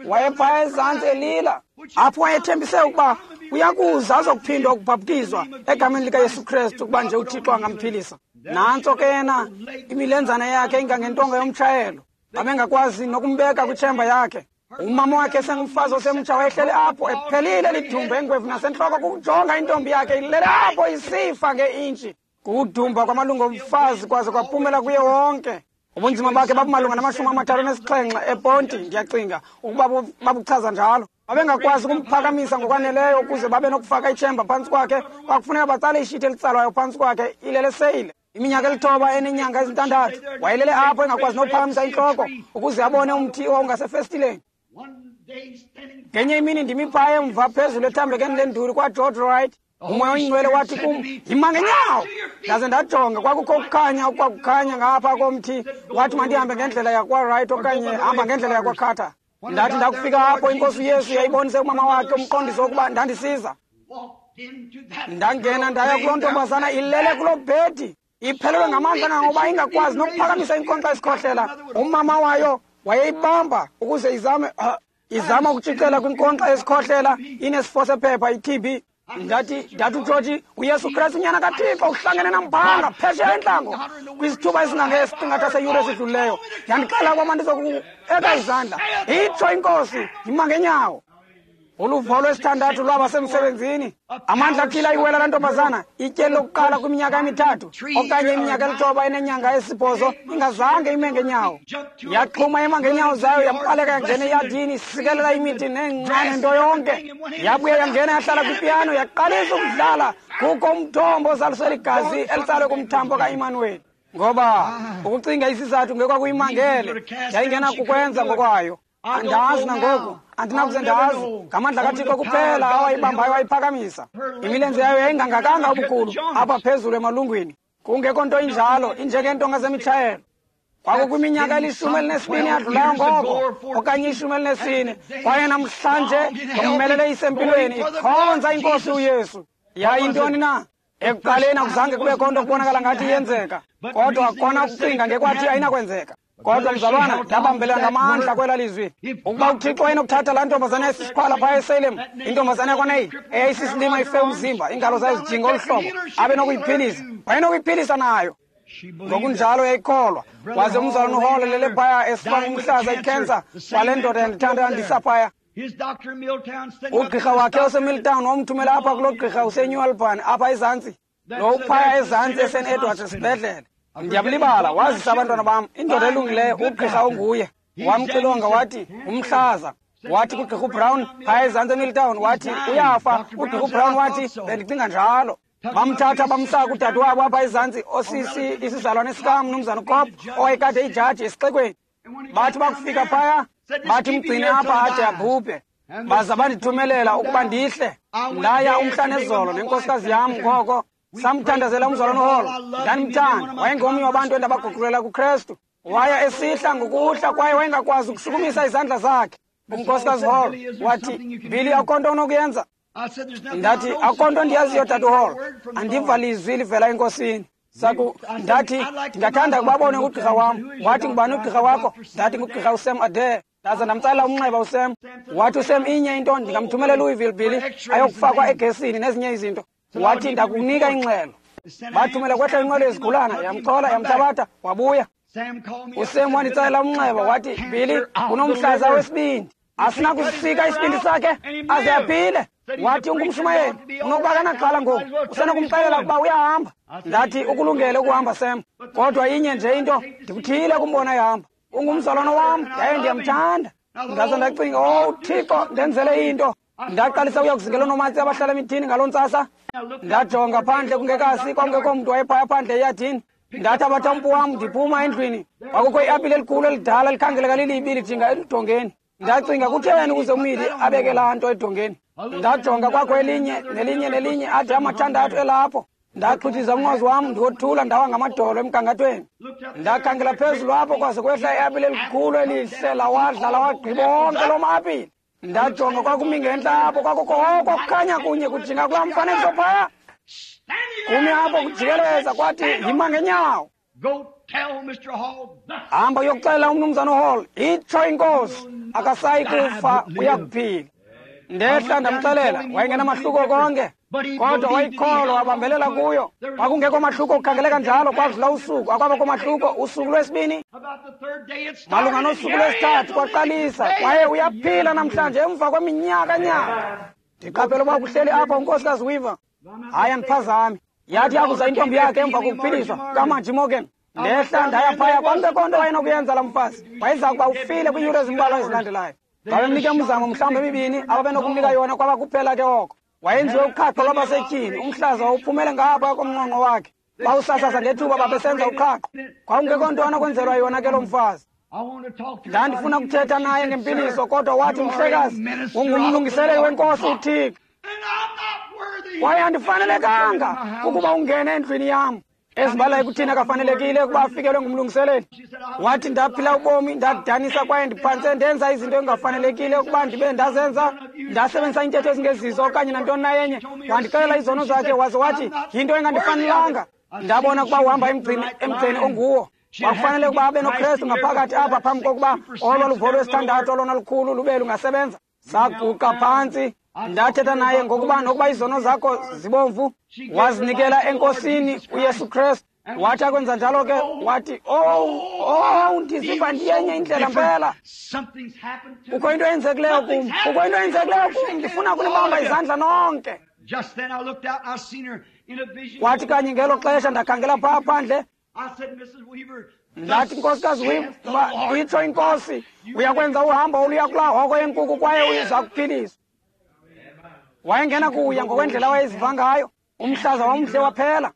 Wayephaya ezantsi elila, apho wayethembise ukuba uyakuza azokuphindwa ukubhaptizwa egameni likaYesu Kristu ukuba nje uThixo angamphilisa. Nantso ke yena, imilenzana yakhe ingangentonga yomtshayelo, babengakwazi nokumbeka kwitshemba yakhe. Umama wakhe esengumfazi osemtsha wayehleli apho ephelile lidumba engwevu nasentloko kukujonga intombi yakhe ilele apho isifa ngeintshi. Kukudumba kwamalungu omfazi kwaze kwaphumela kuye wonke. Ubunzima bakhe babumalunga namashumi amathathu nesixhenxe eponti, ndiyacinga ukuba babuchaza njalo. Babengakwazi ukumphakamisa ngokwaneleyo ukuze babe nokufaka itshemba phantsi kwakhe. Kwakufuneka batsale ishiti elitsalwayo phantsi kwakhe ilele seyile. Iminyaka elithoba enenyanga ezintandathu wayelele apho engakwazi nokuphakamisa intloko ukuze abone umthi owawungasefestileni. Ngenye imini ndimi phaya emva phezulu ethambekeni lenduli kwaGeorge Wright. Umoya oyingcwele wathi kum, yima ngenyawo. Ndaze ndajonga, kwakukho ukukhanya okwakukhanya ngapha komthi. Wathi mandihambe ngendlela yakwaWright okanye hamba ngendlela yakwaCarter. Ndathi ndakufika apho, inkosi uYesu yayibonise umama wakhe umqondiso wokuba ndandisiza. Ndangena ndaya kuloo ntombazana ilele kuloo bhedi, iphelelwe ngamandla kangangokuba ingakwazi nokuphakamisa inkonkxa esikhohlela. Umama wayo wayeyibamba ukuze izame uh, izama ukutshicela kwinkonkxa esikhohlela inesifo sephepha i-T B. Ndathi ndathi uGeorge, uYesu Kristu unyana kaThixo uhlangene namphanga phesheya entlango kwisithuba esingangesiqingatha seyure esidlulileyo. Yandixela ukuba mandizokueka izandla, itsho inkosi, yima ngenyawo. Uluvo lwesithandathu lwaba semsebenzini. Amandla athile ayiwela laa ntombazana ityeli lokuqala kwiminyaka emithathu okanye iminyaka elithoba enenyanga esibhozo ingazange ime ngenyawo. Yaxhuma ema ngenyawo zayo, yabaleka yangena eyadini, isikelela imithi neencane nto yonke. Yabuya yangena yahlala kwipiyano, yaqalisa ukudlala. Kukho umthombo ozaliswe ligazi elitsalwe kumthambo kaImanuweli. Ngoba ukucinga isizathu ngekwakuyimangele, yayingenakukwenza ngokwayo. Andazi nangoku, andinakuze ndazi. Ngamandla kaThixo kuphela awayibambayo wayiphakamisa. Imilenze yayo yayingangakanga ubukhulu apha phezulu emalungwini, kungekho nto injalo, injengentonga zemitshayelo. Kwakukwiminyaka elishumi elinesibini yadlulayo ngoko, okanye ishumi elinesine, kwaye namhlanje ngommelele isempilweni ikhonza inkosi uYesu. Yayintoni na? Ekuqaleni akuzange kubekho nto kubonakala ngathi iyenzeka, kodwa kona ukucinga ngekwathi ayinakwenzeka. Kodwa mzalwana, ndabambelela ngamandla kwela lizwi. Ukuba uThixo wayenokuthatha laa ntombazana yayisisiqhwala phaya eSalem, intombazana yakwaNeil eyayisisilima ife umzimba, iingalo zayo zijinga olu hlobo, abe nokuyiphilisa, wayenokuyiphilisa nayo. Ngokunjalo yayikholwa. Waze umzalwana uHall elele phaya esifa ngumhlaza ikhensa, kwale ndoda yandithanda yandisa phaya. Ugqirha wakhe oseMilltown wamthumela apha kuloo gqirha useNew Albany apha ezantsi, lo uphaya ezantsi eSaint Edwards esibhedlele. Ndiyabulibala, wazisa abantwana bam, indoda elungileyo, ugqirha onguye. Wamxilonga wathi umhlaza. Wathi kugqirha uBrown phaya ezantsi eMilltown, wathi uyafa. Ugqirha uBrown wathi bendicinga njalo. Bamthatha bamsa kudadewabo apha ezantsi, osisi isizalwane sikamnumzana Kop, owayekade ijaji esixekweni. Bathi bakufika phaya, bathi mgcine apha ade abhubhe. Baza bandithumelela ukuba ndihle. Ndaya umhla nezolo nenkosikazi yam ngoko. Samthandazela umzalwane uHall. Ndandimthanda, wayengomnye wabantu endabaguqulela kuKrestu. Waya esihla ngokuhla kwaye wayengakwazi ukushukumisa izandla zakhe. Unkosikazi Hall wathi, Billy, akukho nto unokuyenza. Ndathi, akukho nto ndiyaziyo, Tata Hall. Andiva lizwi livela enkosini. Saku, ndathi, ndingathanda ukubabone ugqirha wam. Wathi, ngubani ugqirha wakho? Ndathi, ngugqirha uSam Adair. Ndaza ndamtsalela umnxeba uSam. Wathi uSam, inye into, ndingamthumelela eLouisville, Billy, ayokufakwa egesini nezinye izinto. Wathi, ndakunika ingxelo. Bathumela kwehla inqwelo yezigulana, yamchola, yamthabatha, wabuya. USam wanditsalela umnxeba, wathi, Billy, unomhlaza wesibindi. Asinakusika isibindi sakhe aze aphile. Wathi, ungumshumayeli, unokuba kanaxhala ngoku, usenokumxelela ukuba uyahamba. Ndathi, ukulungele ukuhamba, Sam, kodwa inye nje into, ndikuthile kumbona ehamba. Ungumzalwane wam, yaye ndiyamthanda. Ndaza ndacinga, oh Thixo, ndenzele into. Ndaqalisa ukuya kuzingela oonomatse abahlala emithini ngaloo ntsasa. Ndajonga phandle kungekasi, kwakungekho mntu wayephaya phandle eyadini. Ndathabatha umpu wam ndiphuma endlwini. Kwakukho iapile elikhulu elidala likhangeleka lilibi lijinga eludongeni. Ndacinga, kutheni ukuze umili abeke laa nto edongeni? Ndajonga kwakho elinye nelinye nelinye ade amathandathu elapho. Ndaxhuthiza umnqwazi wam ndiwothula, ndawa ngamadolo emgangathweni. Ndakhangela phezulu apho kwaze kwehla iapile elikhulu elihle, lawadla lawagqiba onke loo ma-apile. Ndajonga kwakumi ngentla apho, kwakukho oko kukhanya kunye kujinga kulaa mfanekiso phaya. Kumi apho kujikeleza, kwathi yima ngenyawo. Hamba uyokuxelela umnumzana uHall, itsho inkosi, akasayi kufa, uyakuphila. Ndehla ndamxelela, wayengenamahluko konke, kodwa wayikholwa, wabambelela kuyo. Kwakungekho mahluko kukhangeleka njalo, kwadlula usuku, akwabakho mahluko. Usuku lwesibini, malunga nosuku lwesithathu kwaqalisa, kwaye uyaphila namhlanje emva kweminyaka nyaka. Ndiqaphela uba kuhleli apha unkosikazi Weaver. Hayi, andiphazami. Yathi yakuza intombi yakhe emva kokuphiliswa kaMargie Morgan. Ndehla ndaya phaya, kwakungekho nto wayenokuyenza laa mfazi. Wayeza kuba ufile kwiiyure ezimbalwa ezilandelayo. Babemnika umzamo mhlawumbi emibini ababenokumnika yona, kwaba kuphela ke oko. Wayenziwe uqhaqho lwabasetyhini, umhlaza wawuphumele ngapha komnqonqo wakhe. Bawusasaza ngethuba babesenza uqhaqho. Kwakungekho nto anokwenzelwa yona ke loo mfazi. Ndandifuna ukuthetha naye ngempiliso, kodwa wathi, mhlekazi, ungumlungiseleli wenkosi uThixo, kwaye andifanelekanga ukuba ungene endlwini yam. Ezibala ekuthini akafanelekile ukuba afikelwe ngumlungiseleli. Wathi, ndaphila ubomi, ndakudanisa kwaye ndiphantse ndenza izinto engafanelekile ukuba ndibe ndazenza. Ndasebenzisa iintetho ezingezizo okanye nantoni na yenye. Wandixelela izono zakhe, waze wathi yinto engandifanelanga. Ndabona ukuba uhamba emgcini emgceni onguwo. Kwakufanele ukuba abe noKrestu ngaphakathi apha phambi kokuba olwa luvo lwesithandathu olona lukhulu lube lungasebenza. Saguqa phantsi, ndathetha naye ngokuba nokuba izono zakho zibomvu, wazinikela enkosini uYesu Kristu. Wathi akwenza njalo ke, wathi, oh, oh, ndiziva ndiyenye indlela mpela. Kukho into eyenzekileyo kum, kukho into eyenzekileyo kum, ndifuna ukunibamba izandla nonke. Wathi kanye ngelo xesha ndakhangela phaa phandle. Ndathi, nkosikazi Weaver, itsho inkosi, uyakwenza uhambo oluya kulaa hoko yenkuku kwaye uza kuphiliswa. Wayengena kuya ngokwendlela wayeziva ngayo, umhlaza wamhle waphela.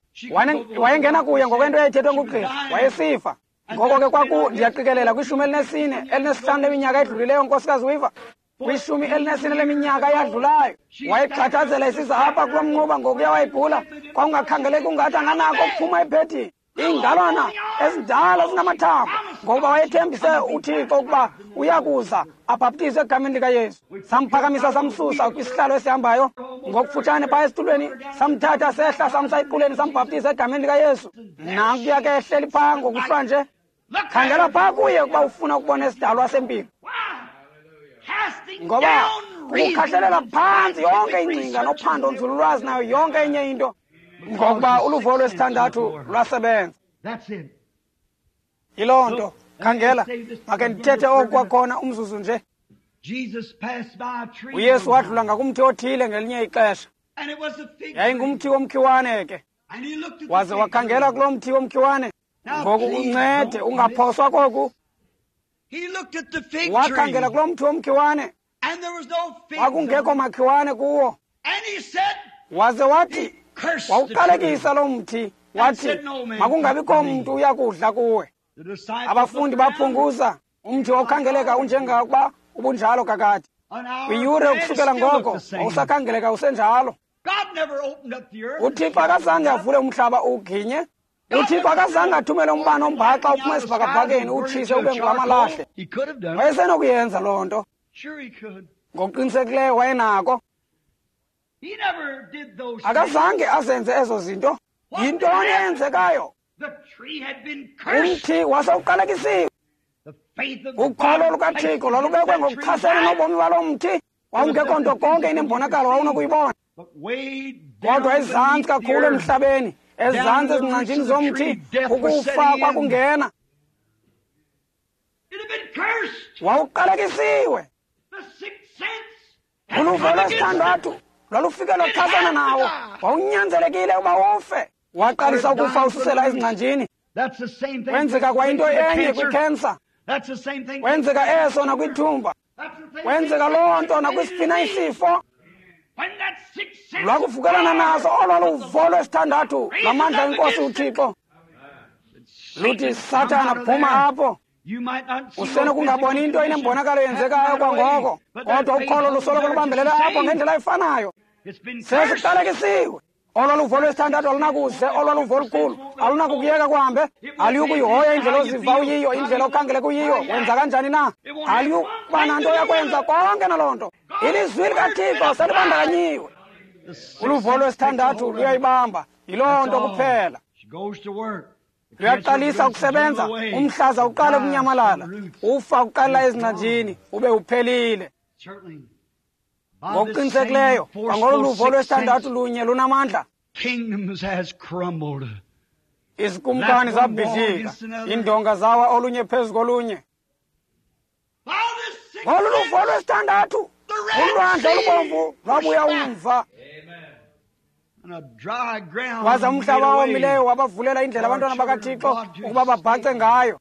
Wayengena kuya ngokwento eyayithethwe ngugqirha, wayesifa. Ngoko ke kwaku, ndiyaqikelela kwishumi elinesine, elinesihlanu leminyaka edlulileyo, nkosikazi Weaver, kwishumi elinesine leminyaka eyadlulayo, wayexhathazela isiza apha kulo mnquba ngokuya wayegula. Kwakungakhangeleki ungathi anganako ukuphuma ebhedini. Iingalwana ezindala zinamathambo, ngokuba wayethembise uThixo ukuba uyakuza abhaptizwe egameni likaYesu. Samphakamisa samsusa kwisihlalo esihambayo ngokufutshane phaya esitulweni, samthatha sehla samsa equleni, sambhaptiza egameni likaYesu. Nankuya ke ehleli phaa ngokuhlwa nje. Khangela phaa kuye ukuba ufuna ukubona isidalwa sempilo, ngoba kukhahlelela phantsi yonke ingcinga nophando nzululwazi nayo yonke enye into, ngokuba uluvo lwesithandathu lwasebenza. Yiloo nto. Khangela, make ndithethe oku kwakhona umzuzu nje. uYesu wadlula ngakumthi othile ngelinye ixesha. Yayingumthi womkhiwane ke. Waze wakhangela kuloo mthi womkhiwane. Ngoku uncede ungaphoswa koku. Wakhangela kuloo mthi womkhiwane, kwakungekho makhiwane kuwo. Waze wathi, Wawuqalekisa lo mthi, wathi makungabikho mntu uyakudla kuwe. Abafundi baphunguza umthi wawukhangeleka unjengakuba ubunjalo kakade. Kwiyure ukusukela ngoko wawusakhangeleka usenjalo. UThixo akazange avule umhlaba uwuginye. UThixo akazange athumele umbane ombhaxa uphuma esibhakabhakeni utshise ube ngamalahle. Wayesenokuyenza loo nto. Ngokuqinisekileyo wayenako. Akazange azenze ezo zinto. Yintoni eyenzekayo? Umthi wasewuqalekisiwe. Ukholo lukaThixo lwalubekwe ngokuchasene nobomi balo mthi. Wawungekho nto konke inembonakalo wawunokuyibona. Kodwa ezantsi kakhulu emhlabeni, ezantsi ezingcanjini zomthi, ukufa kwakungena. Wawuqalekisiwe. Uluvo lwesithandathu lwalufike lwachasana nawo. Wawunyanzelekile uba ufe. Waqalisa ukufa ususela ezingcanjini. Kwenzeka kwayinto enye kwikhensa. Kwenzeka eso nakwithumba. Kwenzeka loo nto nakwisiphi isifo. Lwakuvukelana naso olwa luvo lwesithandathu lamandla enkosi uThixo. Luthi Sathana, phuma apho. Usenokungaboni into inembonakalo yenzekayo kwangoko, kodwa ukholo lusoloko lubambelela apho ngendlela efanayo. Sesiqalekisiwe. Olwa luvo lwesithandathu alunakuze, olwa luvo olukhulu alunakukuyeka kuhambe. Aliyukuyihoya indlela oziva uyiyo, indlela okhangeleka uyiyo. Wenza kanjani na? Aliyukuba nanto yakwenza konke naloo nto. Ilizwi likaThixo selibandakanyiwe. Uluvo lwesithandathu luyayibamba, yiloo nto kuphela. Luyaqalisa ukusebenza, umhlaza uqale ukunyamalala, ufa uqalela ezingcanjini, ube uphelile. Ngokuqinisekileyo, kwangolu luvo lwesithandathu lunye lunamandla. Izikumkani zabhidlika, iindonga zawa olunye phezu kolunye. Ngolu luvo lwesithandathu, ulwandle olubomvu lwabuya umva. Waza umhlaba owomileyo wabavulela indlela abantwana bakaThixo ukuba babhace ngayo.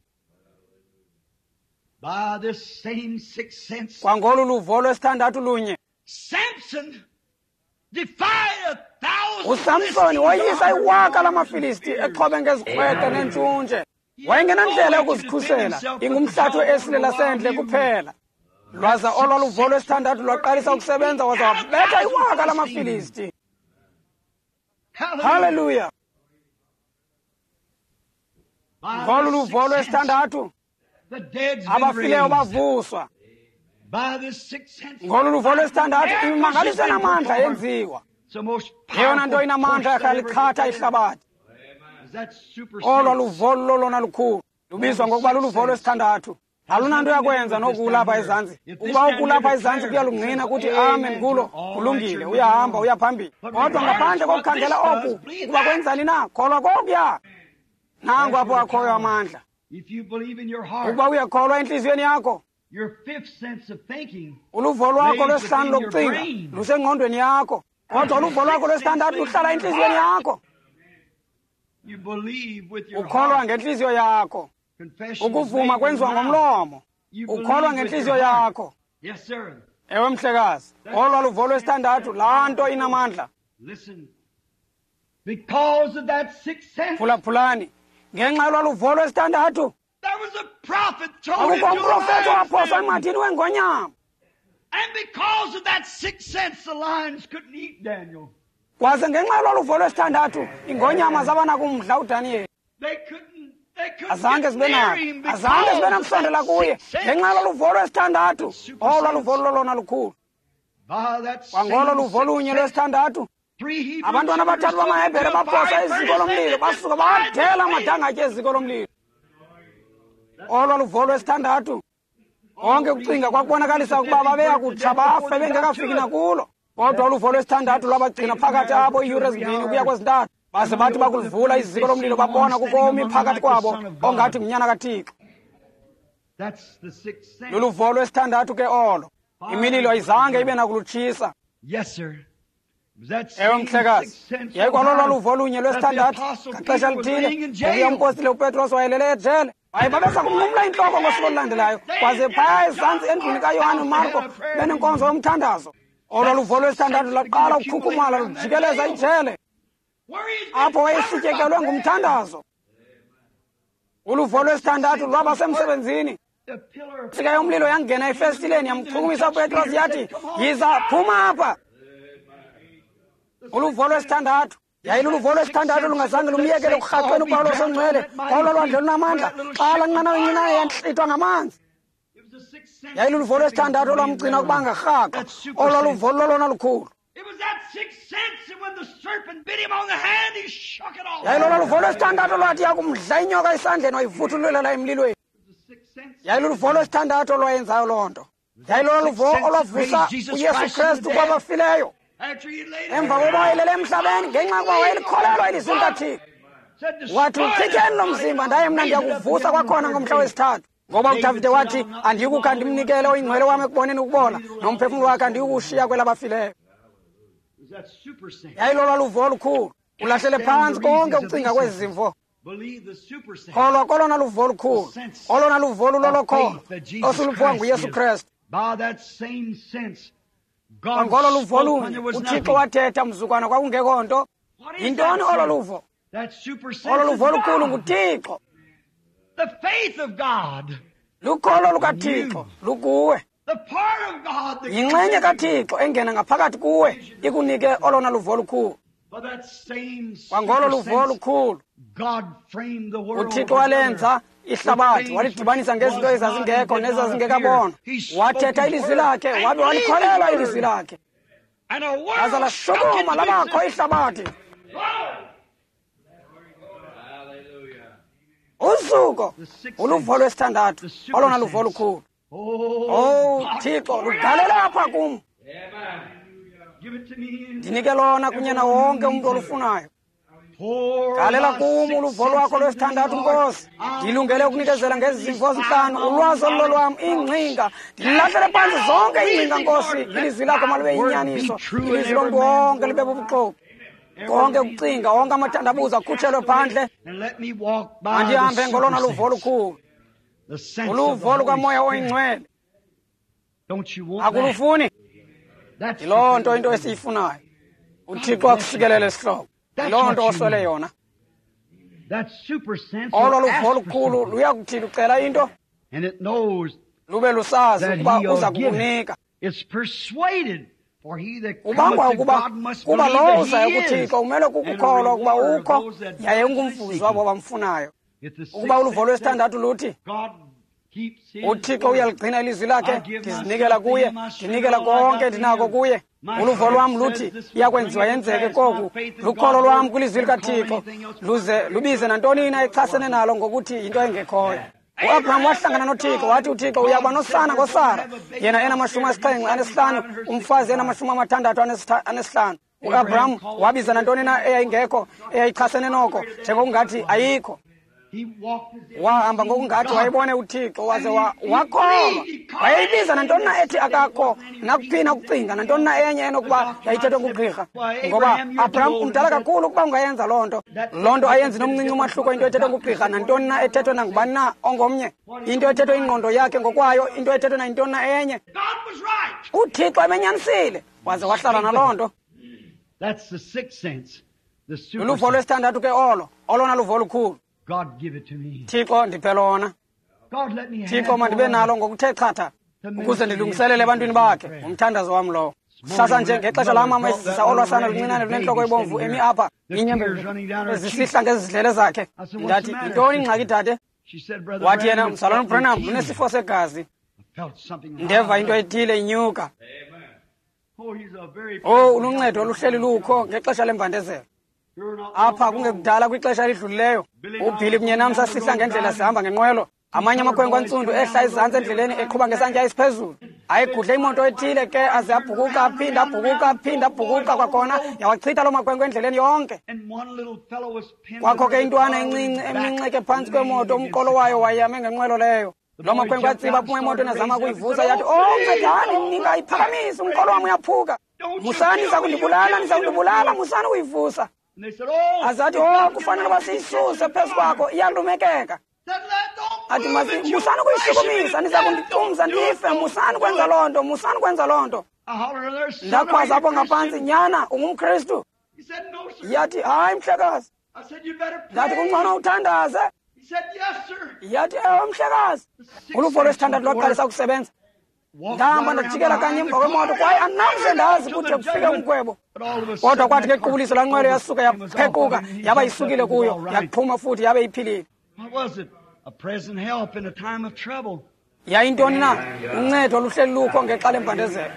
Kwangolu luvo lwesithandathu lunye, uSamsoni woyisa iwaka lamaFilisti exhobe ngezikrweqe neentshuntshe. Wayengenandlela yokuzikhusela, ingumhlathi we-esile lasendle kuphela. Lwaza olwa luvo lwesithandathu lwaqalisa ukusebenza, waza wabetha iwaka lamaFilisti. Haleluya! Ngolu luvo lwesithandathu abafileyo bavuswa. Ngolu luvo lwesithandathu imimangaliso enamandla yenziwa. Yeyona nto inamandla yakhaliqhatha ihlabathi. Olwa luvo lolona lukhulu lubizwa ngokuba luluvo lwesithandathu. Alunanto yakwenza nokulapha ezantsi. Ukuba ukulapha ezantsi kuyalungqina kuthi amen kulo, kulungile, uyahamba uya phambili. Kodwa ngaphandle kokukhangela oku ukuba kwenzani na, kholwa kokuya. Nangu apho akhoyo amandla. Ukuba uyakholwa entliziyweni yakho, uluvo lwakho lwesihlanu lokucinga lusengqondweni yakho, kodwa uluvo lwakho lwesithandathu luhlala entliziyweni yakho. Ukholwa ngentliziyo yakho. Ukuvuma kwenziwa ngomlomo. Ukholwa ngentliziyo yakho. Ewe mhlekazi, olwa luvo lwesithandathu, laa nto inamandla. Phulaphulani, ngenxa yolwa luvo lwesithandathu, akukho umprofethi owaphoswa emhathini wengonyama. Kwaze ngenxa yolwa luvo lwesithandathu, ingonyama zaba nakumdla uDaniyeli. Azange zibe nako, azange zibe nakusondela kuye ngenxa yolwa luvo lwesithandathu. Olwa luvo lolona lukhulu. Kwangolo luvo lunye lwesithandathu, abantwana abathathu bamaHebhere baphosa iziko lomlilo, basuka badela amadangatye eziko lomlilo. Olwa luvo lwesithandathu. Konke ukucinga kwakubonakalisa ukuba babeya kutsha bafe bengekafiki nakulo. Kodwa uluvo lwesithandathu lwabagcina phakathi apho iiyure ezimbini ukuya kwezintathu. Baze bathi bakulivula iziko lomlilo, babona kukho omi phakathi kwabo ongathi ngunyana kaThixo. Luluvo lwesithandathu ke olo. Imililo ayizange ibe nakulutshisa. Ewe mhlekazi, yayikwalolwa luvo lunye lwesithandathu ngaxesha lithile ngokuya umpostile uPetros wayelele ejele. Waye babeza kumnqumla intloko ngosuku olulandelayo, kwaze phaya ezantsi endlwini kaYohane uMarko benenkonzo yomthandazo. Olo luvo lwesithandathu lwaqala ukukhukhumala lujikeleza ijele. Apho wayesityekelwe ngumthandazo. Uluvo lwesithandathu lwabasemsebenzini. Insika yomlilo yangena efestileni yamchukumisa uPetros yathi, yiza, phuma apha. Uluvo lwesithandathu. Yayiluluvo lwesithandathu lungazange lumyekele ukurhaqweni uPawulos ongcwele. Olo lwandle lunamandla xa laa nqanawa incinane yantlithwa ngamanzi. Yayiluluvo lwesithandathu olwamgcina ukuba angarhaqwa. Olo luvo lolona lukhulu. Yayilolo luvo lwesithandathu olwathi yakumdla inyoka esandleni wayivuthululela emlilweni. Yayiluluvo lwesithandathu olwayenzayo loo nto. Yayilolo luvo olwavusa uYesu Krestu kwabafileyo. Emva kokuba wayelele emhlabeni ngenxa yokuba wayelikholelwa ilizwi likaThixo. Wathi, uchitheni lo mzimba ndaye mna ndiyakuvusa kwakhona ngomhla wesithathu. Ngoba uDavide wathi, andiyukukha ndimnikele oyingcwele wam ekuboneni ukubola, nomphefumlo wakhe andiyukuwushiya kwelabafileyo. Yayilolwa luvo olukhulu. Ulahlele phantsi konke ukucinga kwezi zimvo. Kholwa kolona luvo olukhulu. Olona luvo lulolokholo osuluphiwa nguYesu Krestu. Ngolo luvo lunye uThixo wathetha mzukwana kwakungekho nto. Yintoni olo luvo? Olo luvo lukhulu nguThixo. Lukholo lukaThixo lukuwe. Yinxenye kaThixo engena ngaphakathi kuwe ikunike olona luvo lukhulu. Kwangolo luvo lukhulu uThixo walenza ihlabathi, walidibanisa ngezinto ezazingekho nezazingekabonwa. Wathetha ilizwi lakhe wabe walikholelwa ilizwi lakhe, laza lashukuma labakho ihlabathi. Uzuko uluvo lwesithandathu, olona luvo lukhulu. Oh Thixo, lugalele apha kum. Ndinike lona kunye nawo wonke umntu olufunayo. Galela kum uluvo lwakho lwesithandathu, Nkosi. Ndilungele ukunikezela ngezi zimvo zintlanu, ulwazi olulolwam, iingcinga. Ndilahlele phantsi zonke iingcinga, Nkosi. Ilizwi lakho malube yinyaniso, ilizwi lomntu wonke libe bubuxoki. Konke ukucinga, wonke amathandabuzo akhutshelwe phandle. Mandihambe ngolona luvo olukhulu, uluvo lukaMoya oyiNgcwele. Akulufuni? Yiloo nto into esiyifunayo. UThixo akusikelele sihlobo. Yiloo nto oswele yona. Olo luvo olukhulu luyakuthi lucela into lube lusazi ukuba uza kukunika. Ubangwa ukuba kuba lowo uzayo kuThixo umele kukukholwa ukuba ukho yaye ungumvuzi wabo bamfunayo. Ukuba uluvo lwesithandathu luthi uThixo uyaligcina ilizwi lakhe, ndizinikela kuye, ndinikela konke ndinako kuye. Uluvo lwam luthi iyakwenziwa yenzeke koku. Lukholo lwam kwilizwi likaThixo luze lubize nantoni na echasene nalo ngokuthi yinto engekhoyo. UAbraham wahlangana noThixo, wathi uThixo uyakuba nosana ngoSara, yena enamashumi asixhenxe anesihlanu, umfazi enamashumi amathandathu anesihlanu. UAbraham wabiza nantoni na eyayingekho eyayichasene noko njengokungathi ayikho. Wahamba ngokungathi wayebone uThixo waze wakholwa. Wayeyibiza nantoni na ethi akakho nakuphina ukucinga nantoni na enye enokuba yayithethwe ngugqirha. Ngoba Abraham umdala kakhulu ukuba ungayenza loo nto. Loo nto ayenzi nomncinci umahluko into ethethwe ngugqirha nantoni na ethethwe nangubani na ongomnye. Into ethethwe ingqondo yakhe ngokwayo, into ethethwe nayintoni na enye. UThixo emenyanisile waze wahlala naloo nto. Luluvo lwesithandathu ke olo, olona luvo lukhulu. Thixo ndiphe lona. Thixo mandibe nalo ngokuthe chatha ukuze ndilungiselele ebantwini bakhe. Ngumthandazo wam lowo. Kusasa nje ngexesha laa mama esizisa olwasana luncinane lunentloko ebomvu emi apha, iinyembezi ezisihla ngezidlele zakhe. Ndathi, yintoni ingxaki dade? Wathi yena, mzalwana uBranham, unesifo segazi. Ndeva into ethile inyuka. Oh, uluncedo oluhleli lukho ngexesha lembandezelo. Apha kungekudala kwixesha elidlulileyo, uBhili kunye nam sasihla ngendlela sihamba ngenqwelo. Amanye amakhwenkwe antsundu ehla ezantsi endleleni eqhuba ngesantya esiphezulu. Ayigudle imoto ethile ke aze abhukuqa aphinda abhukuqa aphinda abhukuqa kwakhona, yawachitha loo makhwenkwe endleleni yonke. Kwakho ke intwana encinci eminxeke phantsi kwemoto, umqolo wayo wayame ngenqwelo leyo. Loo makhwenkwe atsiba aphuma emotweni azama ukuyivusa, yathi, oh ncedani, ningayiphakamisi, umqolo wam uyaphuka. Musani, niza kundibulala, niza kundibulala, musani ukuyivusa. Azathi, oh kufanele uba siyisuse phezu kwakho, iyalumekeka. Athi, musani ukuyishukumisa, niza kunditumza ndife, musani kwenza loo nto, musani kwenza loo nto. Ndakhwaza apho ngaphantsi, nyana, ungumKristu. Yathi, hayi mhlekazi. Ndathi, kungcono uthandaze. Yathi, ewe mhlekazi. Uluvo lwesithandathu lwaqalisa ukusebenza. Ndahamba ndajikela kanye emva kwemoto kwaye andinamse ndazi kude kufike umgwebo. Kodwa kwathi ngequbuliso laa nqwelo yasuka yaphequka, yaba isukile kuyo, yaphuma futhi yabe iphilile. Yayintoni na? Uncedo oluhleli lukho ngexa lembandezelo.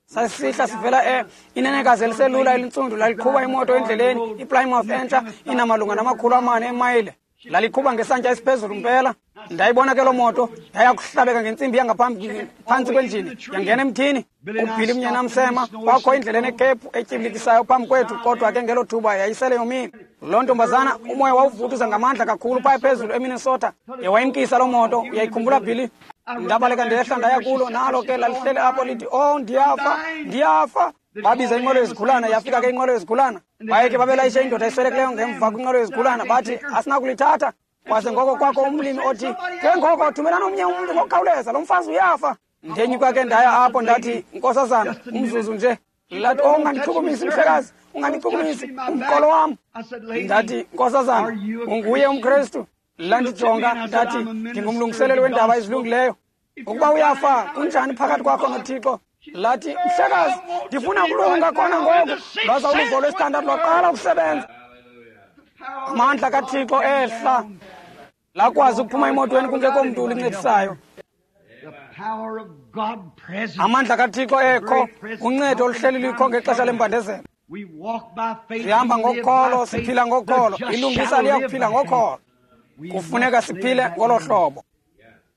Sasihla sivela e inenekazi eliselula elintsundu laliqhuba imoto endleleni, iPlymouth entsha inamalunga namakhulu amane emayile. Laliqhuba ngesantya esiphezulu mpela. Ndayibona ke loo moto, ndaya kuhlabeka ngentsimbi yangaphambi phantsi kwenjini, yangena emthini. UBilly umnyana msema, kwakho indlela enekhephu etyibilikisayo phambi kwethu, kodwa ke ngelo thuba yayisele yomile. Loo ntombazana umoya wawuvuthuza ngamandla kakhulu phaya phezulu eMinnesota. Yewayimkisa loo moto, uyayikhumbula Billy? Ndabaleka ndehla ndaya kulo, nalo ke lalihleli apho lithi, oh ndiyafa, ndiyafa. Babiza inqwelo yezigulana, yafika ke inqwelo yezigulana. Baye ke babelayishe indoda eswelekileyo ngemva kwinqwelo yezigulana, bathi asinakulithatha. Kwaze ngoko kwakho umlimi othi, ke ngoko thumelani omnye umntu ngokukhawuleza, lo mfazi uyafa. Ndenyuka ke ndaya apho ndathi, nkosazana, umzuzu nje. Lathi, oh ungandichukumisi mhlekazi, ungandichukumisi, umqolo wam. Ndathi, nkosazana, unguye umKrestu? Landijonga, ndathi, ndingumlungiseleli wendaba ezilungileyo. Ukuba uyafa, kunjani phakathi kwakho noThixo? Lathi, mhlekazi, ndifuna ukulunga khona ngoku. Lwaza uluvo lwesithandathu lwaqala ukusebenza. Amandla kaThixo ehla. Lakwazi ukuphuma emotweni kungekho mntu ulincedisayo. Amandla kaThixo ekho, uncedo oluhleli likho ngexesha lembandezelo. Sihamba ngokholo, siphila ngokholo. Ilungisa liyakuphila ngokholo. Kufuneka siphile ngolo hlobo.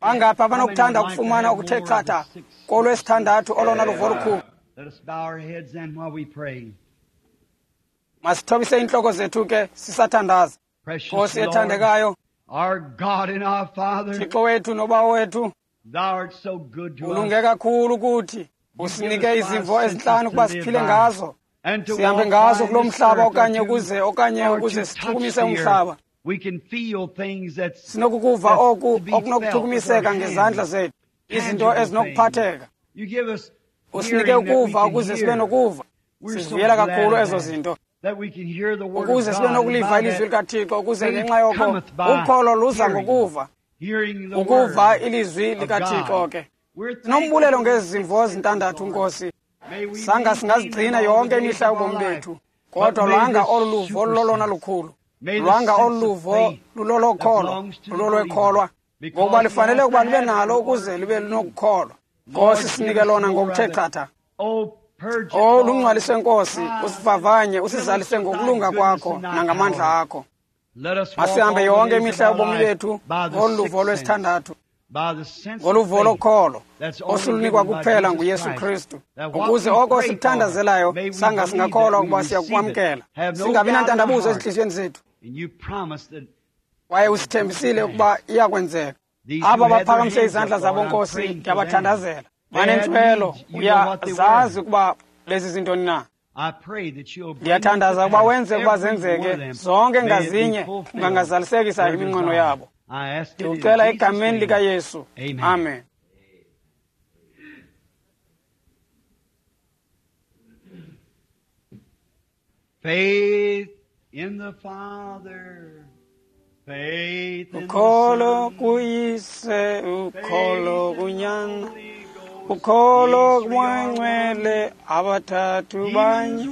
Bangaphi abanokuthanda ukufumana okuthe chatha kolwesithandathu olona luvo lukhulu? Masithobise iintloko zethu ke sisathandaza. Nkosi ethandekayo, Thixo wethu noBawo wethu, ulunge kakhulu kuthi. Usinike izimvo ezintlanu ukuba siphile ngazo, sihambe ngazo kulo mhlaba okanye ukuze okanye ukuze sichukumise umhlaba. Sinokukuva oku okunokuchukumiseka ngezandla zethu, izinto ezinokuphatheka. Usinike ukuva ukuze sibe nokuva. Sizivuyela kakhulu ezo zinto, ukuze sibe nokuliva ilizwi likaThixo, ukuze ngenxa yoko ukholo luza ngokuva, ukuva ilizwi likaThixo ke. Sinombulelo ngezi zimvo zintandathu, Nkosi. Sanga singazigcina yonke imihla yobomi bethu, kodwa lwanga olu luvo lulolona lukhulu. Lwanga olu luvo lulolokholo, lulolwekholwa, ngokuba lifanele ukuba libe nalo ukuze libe linokukholwa. Nkosi, sinike lona ngokuthe chatha. O lungcwalise Nkosi, usivavanye, usizalise ngokulunga kwakho nangamandla akho. Masihambe yonke imihla yobomi bethu ngolu luvo lwesithandathu, ngoluvo lokholo osulunikwa kuphela nguYesu Kristu, ukuze oko sikuthandazelayo sanga singakholwa ukuba siyakukwamkela, singabi nantandabuzo ezintliziyweni zethu. Kwaye usithembisile ukuba iyakwenzeka. Aba baphakamise izandla zabo, Nkosi, ndiyabathandazela. Banentswelo, uyazazi ukuba lezi zintoni na. Ndiyathandaza ukuba wenze ukuba zenzeke zonke ngazinye, ungangazalisekisa iminqweno yabo. Ndikucela egameni likaYesu. Amen. Faith in the Father, faith in the Ukholo Son, kuyise, ukholo kunyana, ukholo kuMoya abathathu banye.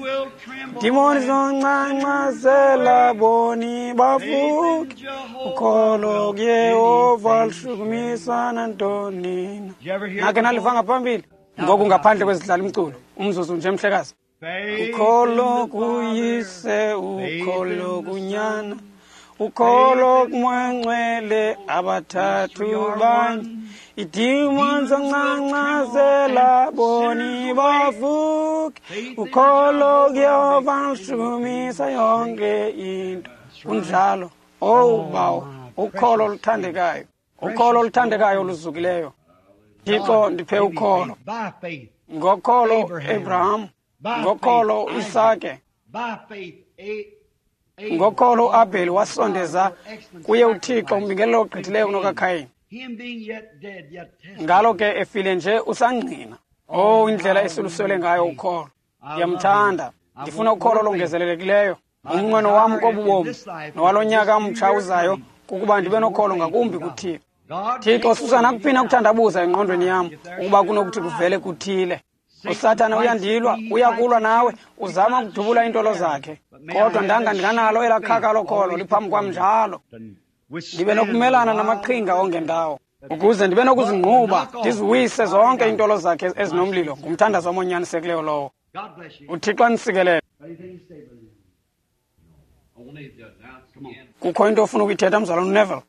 Dimoni zoncancazela boni bavuke. Ukholo kuYehova lushukumisa nantoni na. Nake naliva ngaphambili ngoku ngaphandle kwezidlala umculo, umzuzu nje mhlekazi. Ukholo kuyise, ukholo kunyana, ukholo kuMoya abathathu banye. Idimoni zoncancazela boni bavuke. Ukholo kuYehova lushukumisa yonke into. Kunjalo. Oh Bawo, ukholo oluthandekayo, ukholo oluthandekayo oluzukileyo. Thixo, ndiphe ukholo. Ngokholo Abraham, ngokholo Isake, ngokholo uAbheli wasondeza kuye uThixo umbingelelo ogqithileyo kunokaKhayini. Ngalo ke efile nje usangqina. Oh, indlela esiluswele ngayo ukholo. Ndiyamthanda. Ndifuna ukholo olongezelelekileyo. Umnqweno wam kobu bomi nowalo nyaka mtsha uzayo kukuba ndibe nokholo ngakumbi kuThixo. Thixo, susa nakuphi na ukuthandabuza engqondweni yam ukuba kunokuthi kuvele kuthile. USathana uyandilwa, uyakulwa nawe, uzama ukudubula iintolo zakhe. Kodwa ndanga ndinganalo elaa khaka lokholo liphambi kwam njalo. Ndibe nokumelana namaqhinga ongendawo, ukuze ndibe nokuzingquba ndiziwise zonke iintolo zakhe ezinomlilo. Ngumthandazo wam onyanisekileyo lowo. UThixo anisikelele. Kukho into ofuna ukuyithetha, mzalwana uNeville?